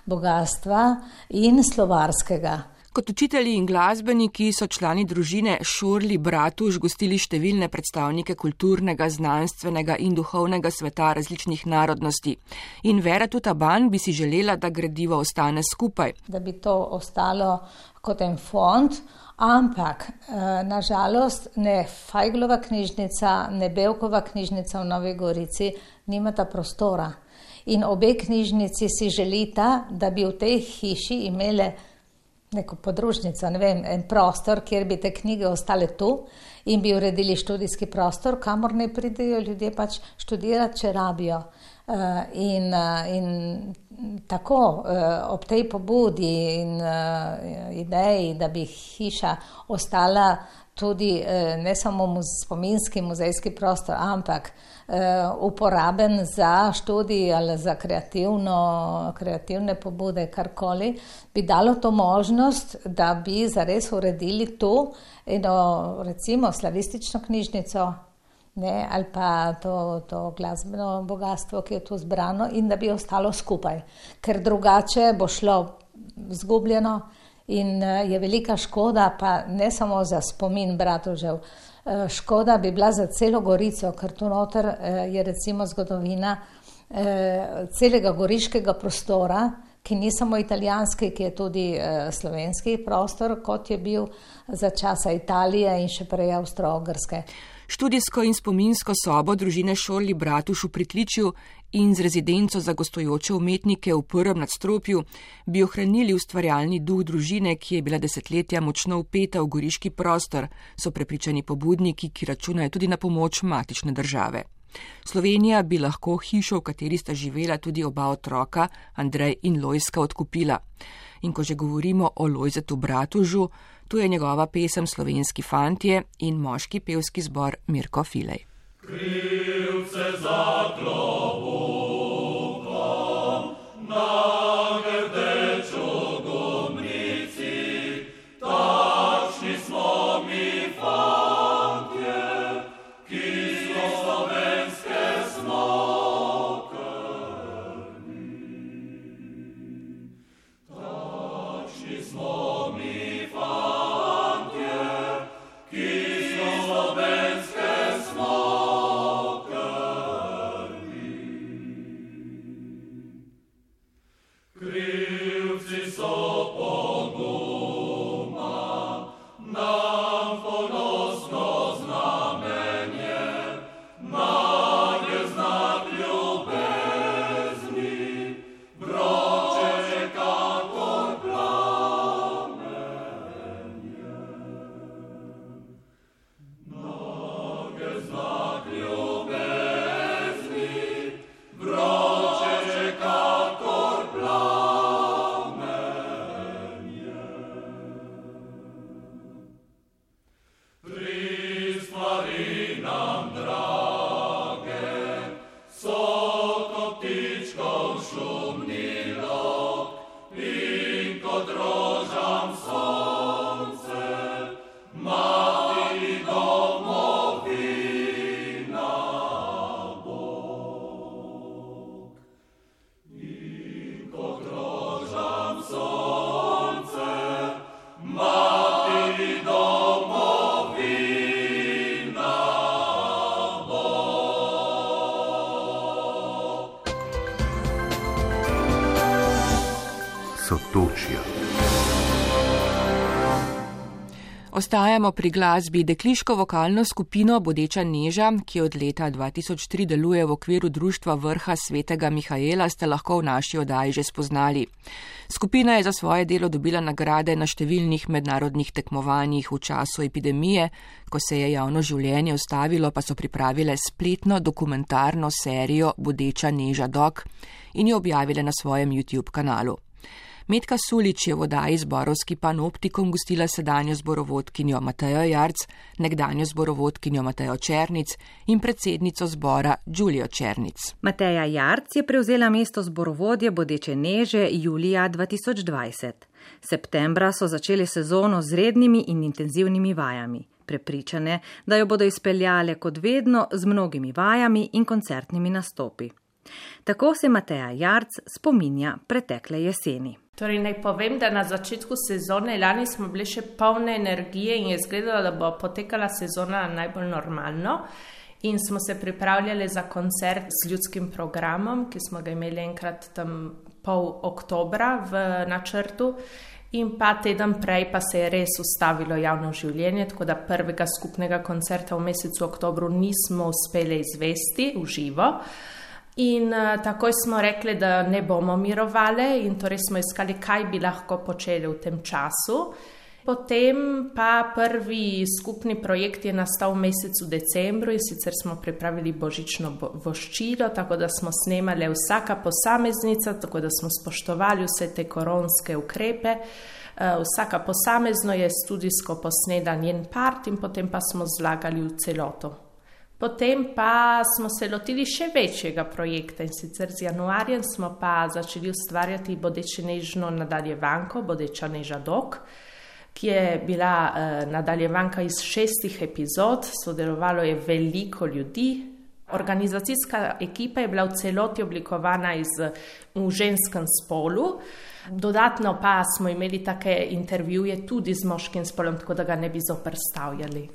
bogatstva in slovarskega. Kot učitelji in glasbeniki so člani družine Šorli Bratuž gostili številne predstavnike kulturnega, znanstvenega in duhovnega sveta različnih narodnosti. In Vera Tutaban bi si želela, da gradivo ostane skupaj. Da bi to ostalo kot en fond, ampak nažalost ne Fajglova knjižnica, ne Bevkova knjižnica v Novi Gorici nimata prostora. In obe knjižnici si želita, da bi v tej hiši imele neko podružnico, ne vem, en prostor, kjer bi te knjige ostale tu in bi uredili študijski prostor, kamor ne pridejo ljudje pač študirati, če rabijo. Uh, in, uh, in tako uh, ob tej pobudi in uh, ideji, da bi hiša ostala tudi uh, ne samo muz, spominski muzejski prostor, ampak uh, uporaben za študij ali za kreativno, kreativne pobude, karkoli, bi dalo to možnost, da bi zares uredili tu eno, recimo, slavistično knjižnico, ne, ali pa to, to glasbeno bogatstvo, ki je tu zbrano, in da bi ostalo skupaj, ker drugače bo šlo zgubljeno in je velika škoda, pa ne samo za spomin Bratožev, škoda bi bila za celo Gorico, ker tu noter je recimo zgodovina celega goriškega prostora, ki ni samo italijanski, ki je tudi slovenski prostor, kot je bil za časa Italije in še prej Avstro-Ogrske. Študijsko in spominsko sobo družine Šorli Bratuš v Pritličju in z rezidenco za gostujoče umetnike v prvem nadstropju bi ohranili ustvarjalni duh družine, ki je bila desetletja močno vpeta v goriški prostor, so prepričani pobudniki, ki računajo tudi na pomoč matične države. Slovenija bi lahko hišo, v kateri sta živela tudi oba otroka, Andrej in Lojzka, odkupila. In ko že govorimo o Lojzetu Bratužu, tu je njegova pesem Slovenski fantje in moški pevski zbor Mirko Filej. Krivce za klobukom, na grdečo gumnici, takšni smo mi fantje, ki smo slovenske smokrni. Takšni smo mi fantje, ki smo slovenske smokrni. Krivci so poguma, nam ponosno znamenje, nam je znak ljubezni, vroče kakor plamenje. Nam je znak ljubezni, vroče kakor plamenje. Pristvari nam drage, so kot ptičkov šumni lok in kot rožam sonce, mati domovina Bog. In kot rožam sonce, mati domovina Bog. Sotočja. Ostajamo pri glasbi. Dekliško vokalno skupino Bodeča Neža, ki od leta dva tisoč tri deluje v okviru društva Vrha svetega Mihaela, ste lahko v naši oddaji že spoznali. Skupina je za svoje delo dobila nagrade na številnih mednarodnih tekmovanjih v času epidemije. Ko se je javno življenje ustavilo, pa so pripravile spletno dokumentarno serijo Bodeča Neža Dok in jo objavile na svojem YouTube kanalu. Metka Sulič je v oddaji Zborovski panoptikum gostila sedanjo zborovodkinjo Matejo Jarc, nekdanjo zborovodkinjo Matejo Černic in predsednico zbora Đulijo Černic. Mateja Jarc je prevzela mesto zborovodje Bodeče Neže julija dva tisoč dvajset. Septembra so začeli sezono z rednimi in intenzivnimi vajami. Prepričane, da jo bodo izpeljale kot vedno z mnogimi vajami in koncertnimi nastopi. Tako se Mateja Jarc spominja pretekle jeseni. Torej, naj povem, da na začetku sezone lani smo bili še polne energije in je izgledalo, da bo potekala sezona najbolj normalno. In smo se pripravljali za koncert s ljudskim programom, ki smo ga imeli enkrat tam pol oktobra v načrtu. In pa teden prej pa se je res ustavilo javno življenje, tako da prvega skupnega koncerta v mesecu oktobru nismo uspeli izvesti v živo. In uh, takoj smo rekli, da ne bomo mirovali in torej smo iskali, kaj bi lahko počeli v tem času. Potem pa prvi skupni projekt je nastal v mesecu decembru in sicer smo pripravili božično voščilo, tako da smo snemali vsaka posameznica, tako da smo spoštovali vse te koronske ukrepe. Uh, vsaka posamezno je studijsko posnela njen part in potem pa smo zlagali v celoto. Potem pa smo se lotili še večjega projekta in sicer z januarjem smo pa začeli ustvarjati Bodeče nežno nadaljevanko, Bodeča neža dok, ki je bila eh, nadaljevanka iz šestih epizod, sodelovalo je veliko ljudi. Organizacijska ekipa je bila v celoti oblikovana iz, v ženskem spolu, dodatno pa smo imeli take intervjuje tudi z moškim spolom, tako da ga ne bi zoperstavljali.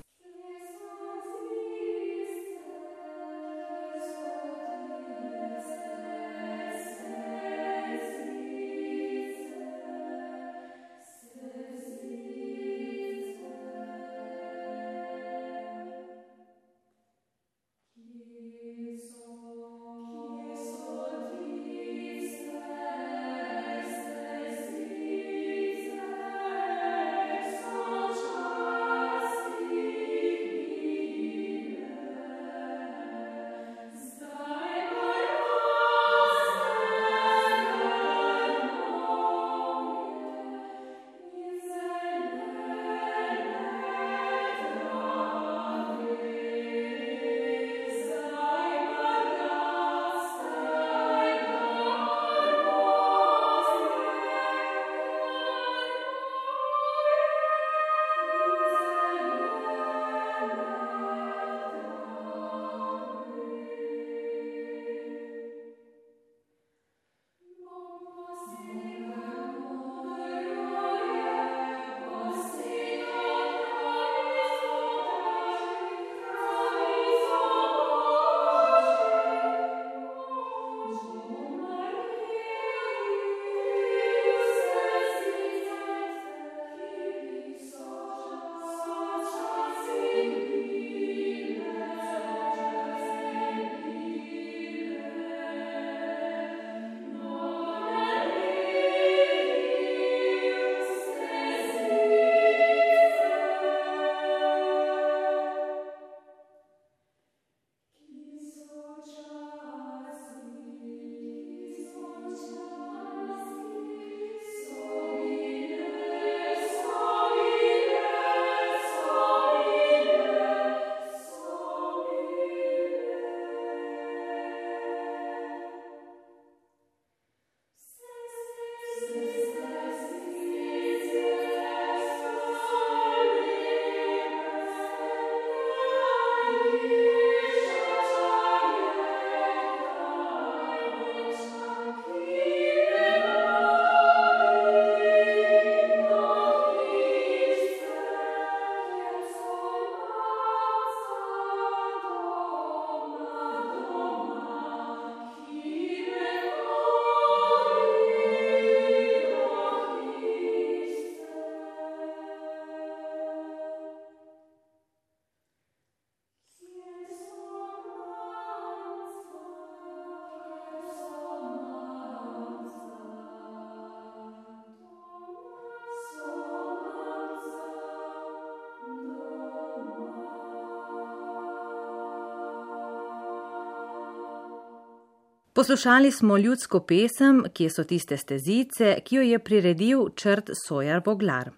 Poslušali smo ljudsko pesem, Kje so tiste stezice, ki jo je priredil Črt Sojar Voglar.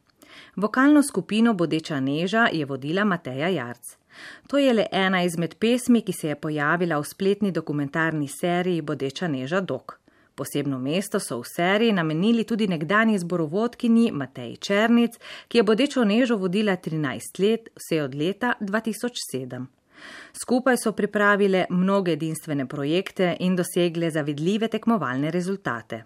Vokalno skupino Bodeča neža je vodila Mateja Jarc. To je le ena izmed pesmi, ki se je pojavila v spletni dokumentarni seriji Bodeča neža dok. Posebno mesto so v seriji namenili tudi nekdanji zborovodkinji Mateji Černic, ki je Bodečo nežo vodila trinajst let, vse od leta dva tisoč sedem. Skupaj so pripravile mnoge edinstvene projekte in dosegle zavidljive tekmovalne rezultate.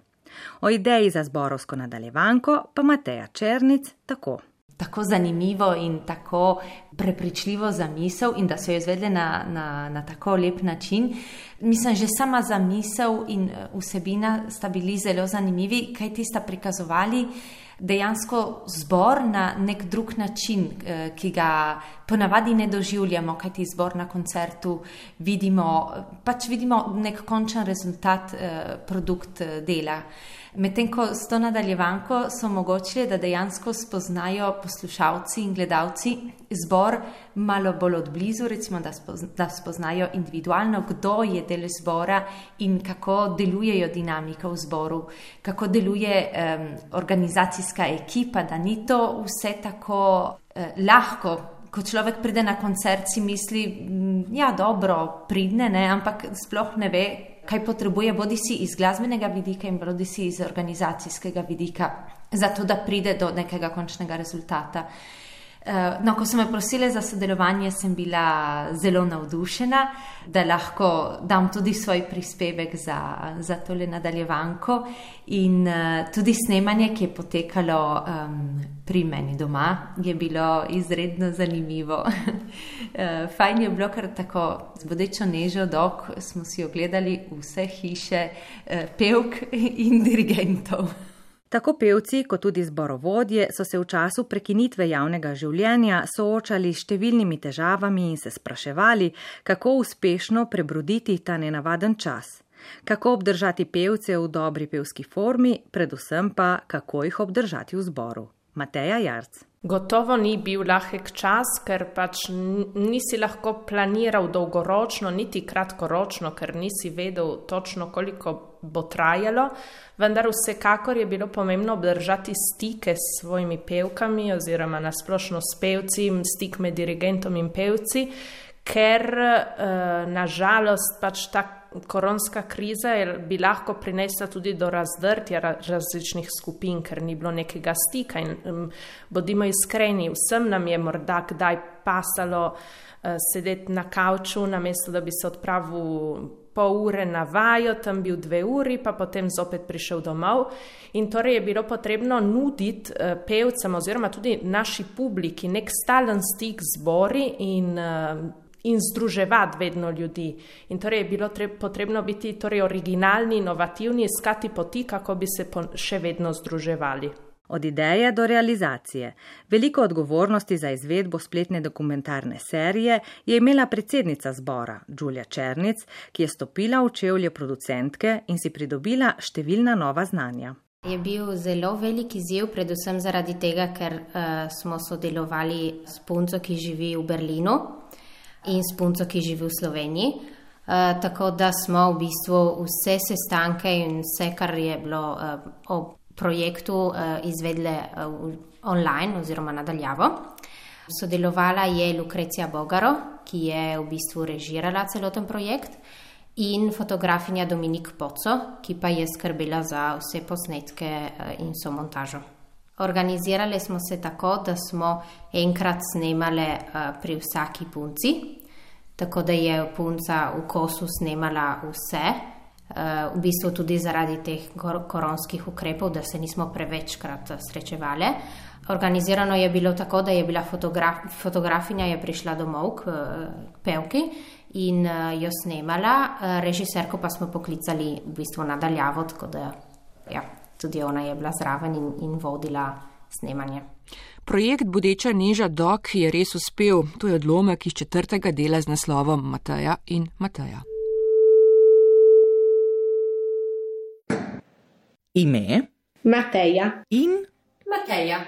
O ideji za zborovsko nadaljevanko pa Mateja Černic tako. Tako zanimivo in tako prepričljivo zamisel in da so jo izvedli na, na, na tako lep način. Mislim, že sama zamisel in vsebina sta bili zelo zanimivi, kaj ti sta prikazovali dejansko zbor na nek drug način, ki ga ponavadi ne doživljamo, kajti zbor na koncertu vidimo, pač vidimo nek končen rezultat, produkt dela. Medtem ko s to nadaljevanko so omogočili, da dejansko spoznajo poslušalci in gledalci zbor malo bolj odblizu, recimo, da, spozna, da spoznajo individualno, kdo je del zbora in kako delujejo dinamika v zboru, kako deluje um, organizacijska ekipa, da ni to vse tako uh, lahko. Ko človek pride na koncert, si misli, ja, dobro, pridne, ne, ampak sploh ne ve, kaj potrebuje, bodi si iz glasbenega vidika in bodi si iz organizacijskega vidika, zato da pride do nekega končnega rezultata. No, ko so me prosile za sodelovanje, sem bila zelo navdušena, da lahko dam tudi svoj prispevek za, za tole nadaljevanko in uh, tudi snemanje, ki je potekalo um, pri meni doma, je bilo izredno zanimivo. uh, fajn je bilo, ker tako z bodečo nežo dok smo si ogledali vse hiše uh, pevk in dirigentov. Tako pevci kot tudi zborovodje so se v času prekinitve javnega življenja soočali s številnimi težavami in se spraševali, kako uspešno prebroditi ta nenavaden čas, kako obdržati pevce v dobri pevski formi, predvsem pa kako jih obdržati v zboru. Mateja Jarc. Gotovo ni bil lahek čas, ker pač nisi lahko planiral dolgoročno, niti kratkoročno, ker nisi vedel točno, koliko bo trajalo, vendar vsekakor je bilo pomembno obdržati stike s svojimi pevkami oziroma nasplošno s pevci, stik med dirigentom in pevci, ker nažalost pač ta koronska kriza bi lahko prinesla tudi do razdrtja različnih skupin, ker ni bilo nekega stika in um, bodimo iskreni, vsem nam je morda kdaj pasalo uh, sedeti na kavču, namesto da bi se odpravil pol ure na vajo, tam bil dve uri, pa potem zopet prišel domov. In torej je bilo potrebno nuditi uh, pevcem oziroma tudi naši publiki nek stalen stik z zbori in uh, in združevati vedno ljudi. In torej je bilo treb, potrebno biti torej originalni, inovativni, iskati poti, kako bi se po, še vedno združevali. Od ideje do realizacije. Veliko odgovornosti za izvedbo spletne dokumentarne serije je imela predsednica zbora, Đulja Černic, ki je stopila v čevlje producentke in si pridobila številna nova znanja. Je bil zelo velik izziv, predvsem zaradi tega, ker uh, smo sodelovali s punco, ki živi v Berlinu, in s punco, ki živi v Sloveniji. Uh, tako da smo v bistvu vse sestanke in vse, kar je bilo uh, o projektu, uh, izvedle uh, online oziroma nadaljavo. Sodelovala je Lukrecija Bogaro, ki je v bistvu režirala celoten projekt, in fotografinja Dominik Poco, ki pa je skrbela za vse posnetke uh, in so montažo. Organizirali smo se tako, da smo enkrat snemali uh, pri vsaki punci, tako da je punca v kosu snemala vse, uh, v bistvu tudi zaradi teh kor- koronskih ukrepov, da se nismo prevečkrat srečevali. Organizirano je bilo tako, da je bila fotograf- fotografinja je prišla domov k uh, pevki in uh, jo snemala, uh, režiserko pa smo poklicali v bistvu nadaljavo, tako da ja. Tudi ona je bila zraven in, in vodila snemanje. Projekt Bodeča neža dok je res uspel. To je odlomek iz četrtega dela z naslovom Mateja in Mateja. Ime? Mateja. In? Mateja.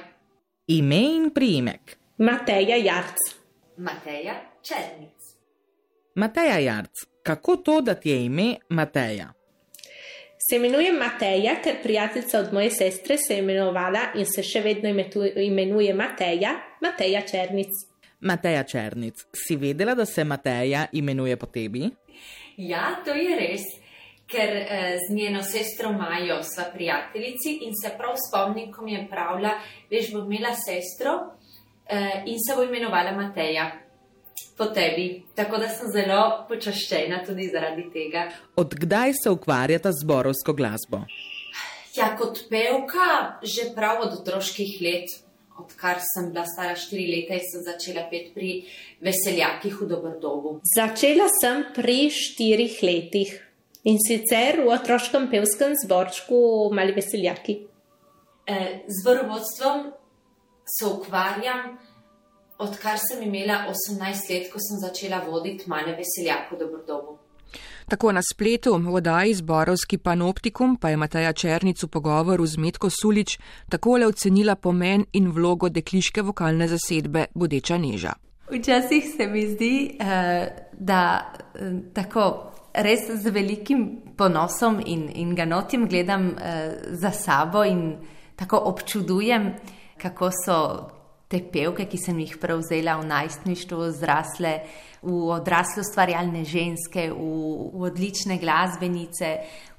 Ime in priimek? Mateja Jarc. Mateja Černic. Mateja Jarc, kako to, da ti je ime Mateja? Se imenujem Mateja, ker prijateljica od moje sestre se je imenovala in se še vedno imenuje Mateja, Mateja Černic. Mateja Černic, si vedela, da se Mateja imenuje po tebi? Ja, to je res, ker eh, z njeno sestro Majo sva prijateljici in se prav spomnim, ko mi je pravila, veš, bo imela sestro eh, in se bo imenovala Mateja. Po tebi, tako da sem zelo počaščena tudi zaradi tega. Od kdaj se ukvarjata z zborovsko glasbo? Ja, kot pevka že prav od otroških let, odkar sem bila stara štiri leta in sem začela peti pri Veseljakih v Doberdobu. Začela sem pri štirih letih in sicer v otroškem pevskem zborčku Mali Veseljaki. Z zborovodstvom se ukvarjam, odkar sem imela osemnajst let, ko sem začela voditi Male veseljak v Dobrodobu. Tako na spletu v oddaji Zborovski panoptikum pa je Mateja Černic v pogovoru z Metko Sulič takole ocenila pomen in vlogo dekliške vokalne zasedbe Bodeča neža. Včasih se mi zdi, da tako res z velikim ponosom in, in ganotim gledam za sabo in tako občudujem, kako so te pevke, ki sem jih prevzela v najstništvu, zrasle v odrasle ustvarjalne ženske, v, v odlične glasbenice,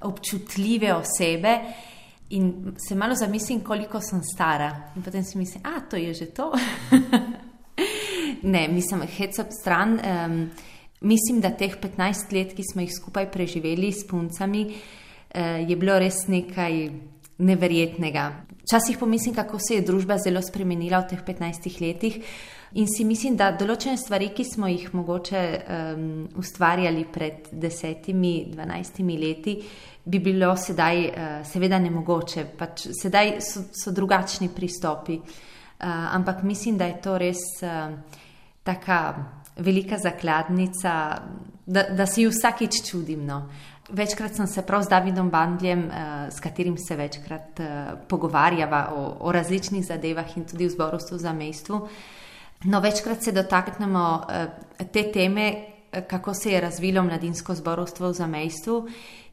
občutljive osebe in se malo zamislim, koliko sem stara in potem si mislim, a to je že to. Ne, mislim, hec ob stran, um, mislim, da teh petnajst let, ki smo jih skupaj preživeli s puncami, uh, je bilo res nekaj neverjetnega. Včasih pomislim, kako se je družba zelo spremenila v teh petnajstih letih in si mislim, da določene stvari, ki smo jih mogoče um, ustvarjali pred desetimi, dvanajstimi leti, bi bilo sedaj uh, seveda nemogoče. Pač sedaj so, so drugačni pristopi, uh, ampak mislim, da je to res uh, taka velika zakladnica, da, da si vsakič čudim, no. Večkrat sem se prav z Davidom Bandljem, s katerim se večkrat pogovarjava o, o različnih zadevah in tudi v zborovstvu v zamejstvu. No, večkrat se dotaknemo te teme, kako se je razvilo mladinsko zborovstvo v zamejstvu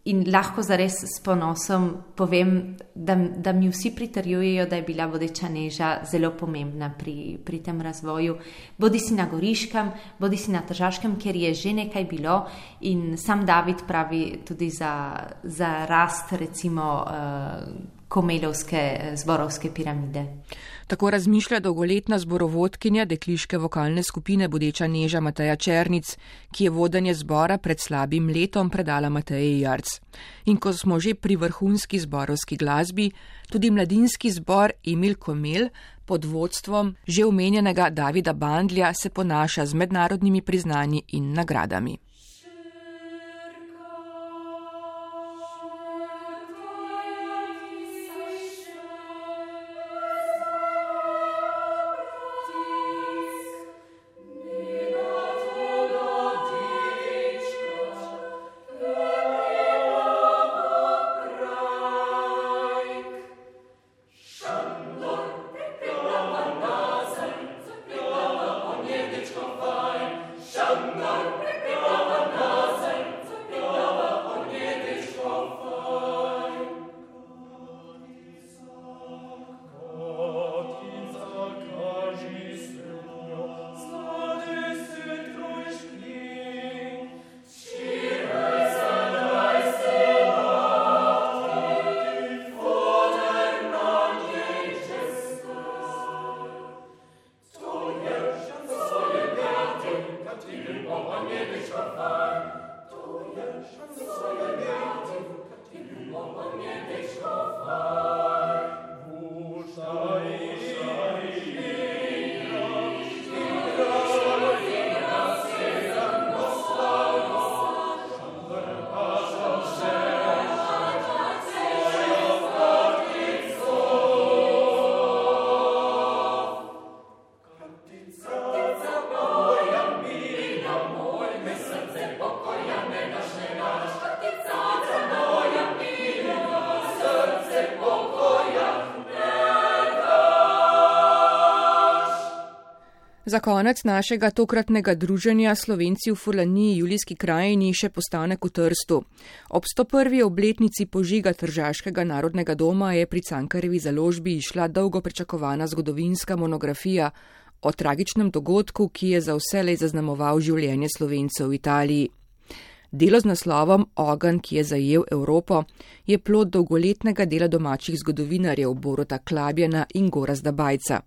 in lahko zares s ponosom povem, da, da mi vsi pritrjujejo, da je bila Bodeča neža zelo pomembna pri, pri tem razvoju. Bodi si na Goriškem, bodi si na Tržaškem, kjer je že nekaj bilo in sam David pravi tudi za, za rast recimo Komelovske zborovske piramide. Tako razmišlja dolgoletna zborovodkinja dekliške vokalne skupine Bodeča neža Mateja Černic, ki je vodenje zbora pred slabim letom predala Mateji Jarc. In ko smo že pri vrhunski zborovski glasbi, tudi mladinski zbor Emil Komel pod vodstvom že omenjenega Davida Bandlja se ponaša z mednarodnimi priznanji in nagradami. Za konec našega tokratnega druženja Slovenci v Furlaniji Julijski krajini še postanek v Trstu. Ob sto prvi obletnici požiga Tržaškega narodnega doma je pri Cankarjevi založbi išla dolgo pričakovana zgodovinska monografija o tragičnem dogodku, ki je za vselej zaznamoval življenje Slovencev v Italiji. Delo z naslovom Ogenj, ki je zajel Evropo, je plod dolgoletnega dela domačih zgodovinarjev Boruta Klabjana in Gorazda Bajca.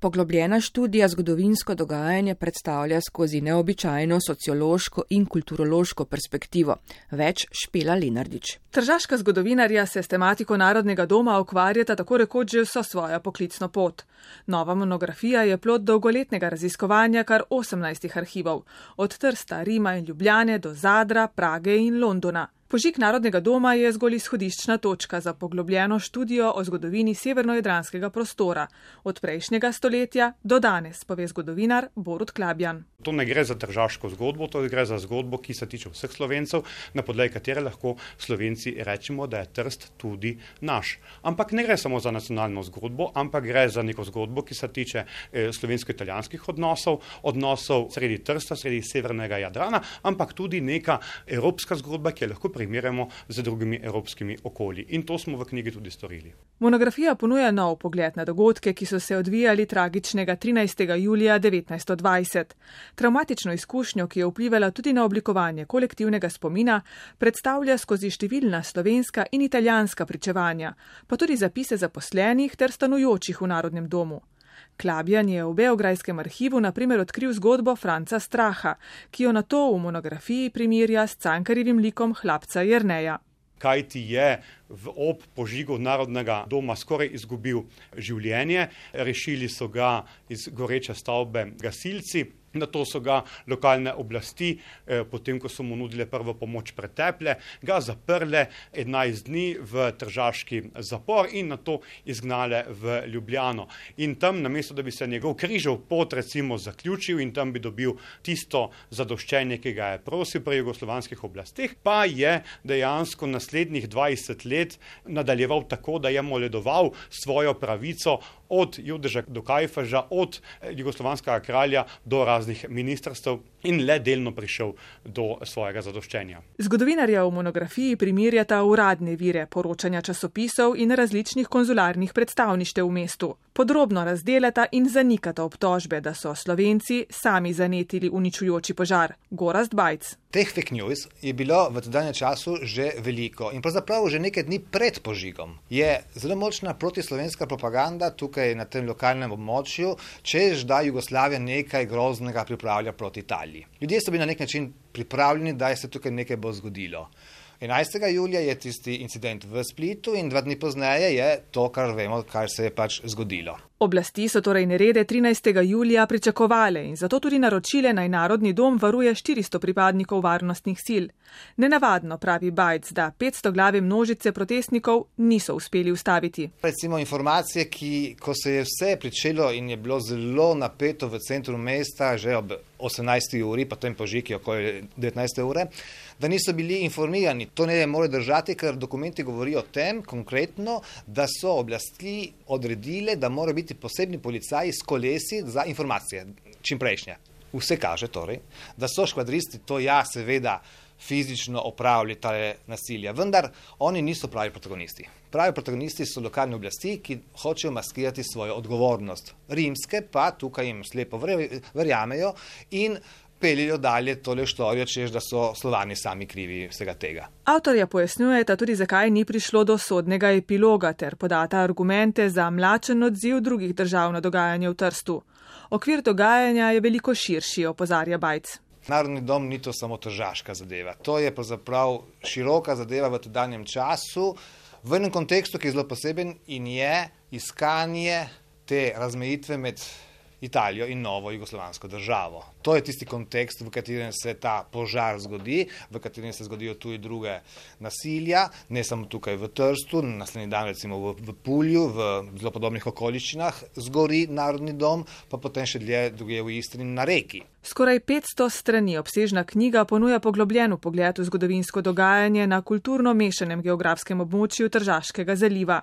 Poglobljena študija zgodovinsko dogajanje predstavlja skozi neobičajno sociološko in kulturološko perspektivo. Več Špela Lenardič. Tržaška zgodovinarja se s tematiko Narodnega doma ukvarjata tako rekoč že vso svojo poklicno pot. Nova monografija je plod dolgoletnega raziskovanja kar osemnajstih arhivov, od Trsta, Rima in Ljubljane do Zadra, Prage in Londona. Požig Narodnega doma je zgolj izhodiščna točka za poglobljeno študijo o zgodovini severnojadranskega prostora, od prejšnjega stoletja do danes, pove zgodovinar Borut Klabjan. To ne gre za tržaško zgodbo, to gre za zgodbo, ki se tiče vseh Slovencev, na podlagi katere lahko Slovenci rečemo, da je Trst tudi naš. Ampak ne gre samo za nacionalno zgodbo, ampak gre za neko zgodbo, ki se tiče eh, slovensko-italijanskih odnosov, odnosov sredi Trsta, sredi severnega Jadrana, ampak tudi neka evropska zgodba, ki jo lahko primerjamo z drugimi evropskimi okolji. In to smo v knjigi tudi storili. Monografija ponuja nov pogled na dogodke, ki so se odvijali tragičnega trinajstega julija devetnajststo dvajset. Travmatično izkušnjo, ki je vplivala tudi na oblikovanje kolektivnega spomina, predstavlja skozi številna slovenska in italijanska pričevanja, pa tudi zapise zaposlenih ter stanujočih v Narodnem domu. Klabjan je v beograjskem arhivu na primer odkril zgodbo Franca Straha, ki jo nato v monografiji primerja s Cankarjevim likom hlapca Jerneja. Kaj ti je v ob požigu Narodnega doma skoraj izgubil življenje, rešili so ga iz goreče stavbe gasilci. Nato so ga lokalne oblasti, eh, potem ko so mu nudile prvo pomoč preteple, ga zaprle enajst dni v tržaški zapor in nato izgnale v Ljubljano. In tam, namesto da bi se njegov križev pot recimo zaključil in tam bi dobil tisto zadoščenje, ki ga je prosil pri jugoslovanskih oblasteh, pa je dejansko naslednjih dvajset let nadaljeval tako, da je moledoval svojo pravico od Judeža do Kajfeža, od jugoslovanskega kralja do raznih ministrstv in le delno prišel do svojega zadoščenja. Zgodovinarja v monografiji primerjata uradne vire, poročanja časopisov in različnih konzularnih predstavništev v mestu. Podrobno razdelata in zanikata obtožbe, da so Slovenci sami zanetili uničujoči požar. Gorazd Bajc. Teh fake news je bilo v tedanjem času že veliko in pravzaprav že nekaj dni pred požigom je zelo močna protislovenska propaganda tukaj na tem lokalnem območju, češ da Jugoslavija nekaj groznega pripravlja proti Italiji. Ljudje so bili na nek način pripravljeni, da se tukaj nekaj bo zgodilo. enajstega julija je tisti incident v Splitu in dva dni pozneje je to, kar vemo, kar se je pač zgodilo. Oblasti so torej nerede trinajstega julija pričakovale in zato tudi naročile, naj Narodni dom varuje štiristo pripadnikov varnostnih sil. Nenavadno, pravi Bajc, da petsto glave množice protestnikov niso uspeli ustaviti. Recimo informacije, ki, ko se je vse pričelo in je bilo zelo napeto v centru mesta, že ob osemnajsti uri, potem požig je okoli devetnajste ure, da niso bili informirani. To ne more držati, ker dokumenti govorijo o tem konkretno, da so oblasti odredile, da mora biti posebni policaji s kolesi za informacije, čim prejšnje. Vse kaže torej, da so škvadristi to ja seveda fizično opravili tale nasilja, vendar oni niso pravi protagonisti. Pravi protagonisti so lokalne oblasti, ki hočejo maskirati svojo odgovornost. Rimske pa tukaj jim slepo verjamejo in peljejo dalje tole štorijo, češ da so Slovani sami krivi vsega tega. Avtorja pojasnjujeta tudi, zakaj ni prišlo do sodnega epiloga ter podata argumente za mlačen odziv drugih držav na dogajanje v Trstu. Okvir dogajanja je veliko širši, opozarja Bajc. Narodni dom ni to samo tržaška zadeva. To je pravzaprav široka zadeva v tedanjem času, v enem kontekstu, ki je zelo poseben in je iskanje te razmejitve med Italijo in novo jugoslovansko državo. To je tisti kontekst, v katerem se ta požar zgodi, v katerem se zgodijo tudi druge nasilja, ne samo tukaj v Trstu, naslednji dan recimo v, v Pulju, v zelo podobnih okoliščinah zgori Narodni dom, pa potem še dlje drugje v Istri na Reki. Skoraj petsto strani obsežna knjiga ponuja poglobljen pogled v zgodovinsko dogajanje na kulturno mešanem geografskem območju Tržaškega zaliva.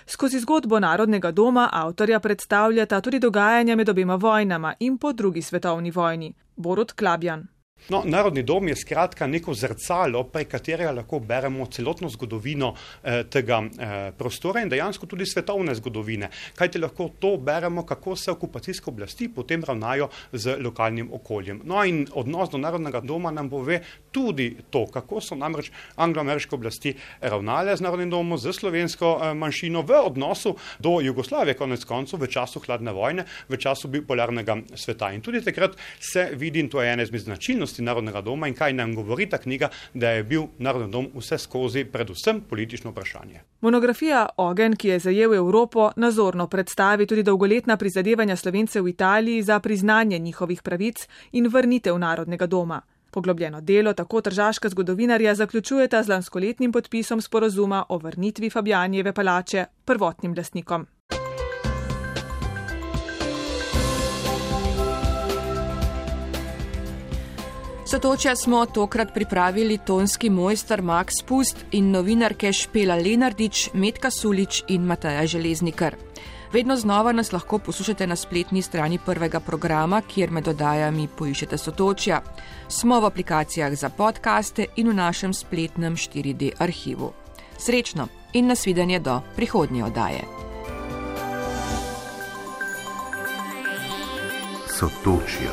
Skozi zgodbo Narodnega doma avtorja predstavljata tudi dogajanja med obema vojnama in po drugi svetovni vojni. Borut Klabjan. No, Narodni dom je skratka neko zrcalo, prek katerega lahko beremo celotno zgodovino eh, tega eh, prostora in dejansko tudi svetovne zgodovine. Kajti lahko to beremo, kako se okupacijske oblasti potem ravnajo z lokalnim okoljem. No in odnos do Narodnega doma nam pove tudi to, kako so namreč anglo-ameriške oblasti ravnale z Narodnim domom, z slovensko eh, manjšino v odnosu do Jugoslavije, konec koncev v času hladne vojne, v času bipolarnega sveta. In tudi takrat se vidi, in to je ena izmed značilnosti Narodnega doma in kaj nam govori ta knjiga, da je bil Narodni dom vse skozi predvsem politično vprašanje. Monografija Ogenj, ki je zajel Evropo, nazorno predstavi tudi dolgoletna prizadevanja Slovencev v Italiji za priznanje njihovih pravic in vrnitev Narodnega doma. Poglobljeno delo tako tržaška zgodovinarja zaključujeta z lanskoletnim podpisom sporazuma o vrnitvi Fabjanijeve palače prvotnim lastnikom. Sotočja smo tokrat pripravili tonski mojster Max Pust in novinarke Špela Lenardič, Metka Sulič in Mateja Železnikar. Vedno znova nas lahko poslušate na spletni strani prvega programa, kjer med oddajami poiščete Sotočja. Smo v aplikacijah za podcaste in v našem spletnem štiri D arhivu. Srečno in nasvidenje do prihodnje oddaje. Sotočja.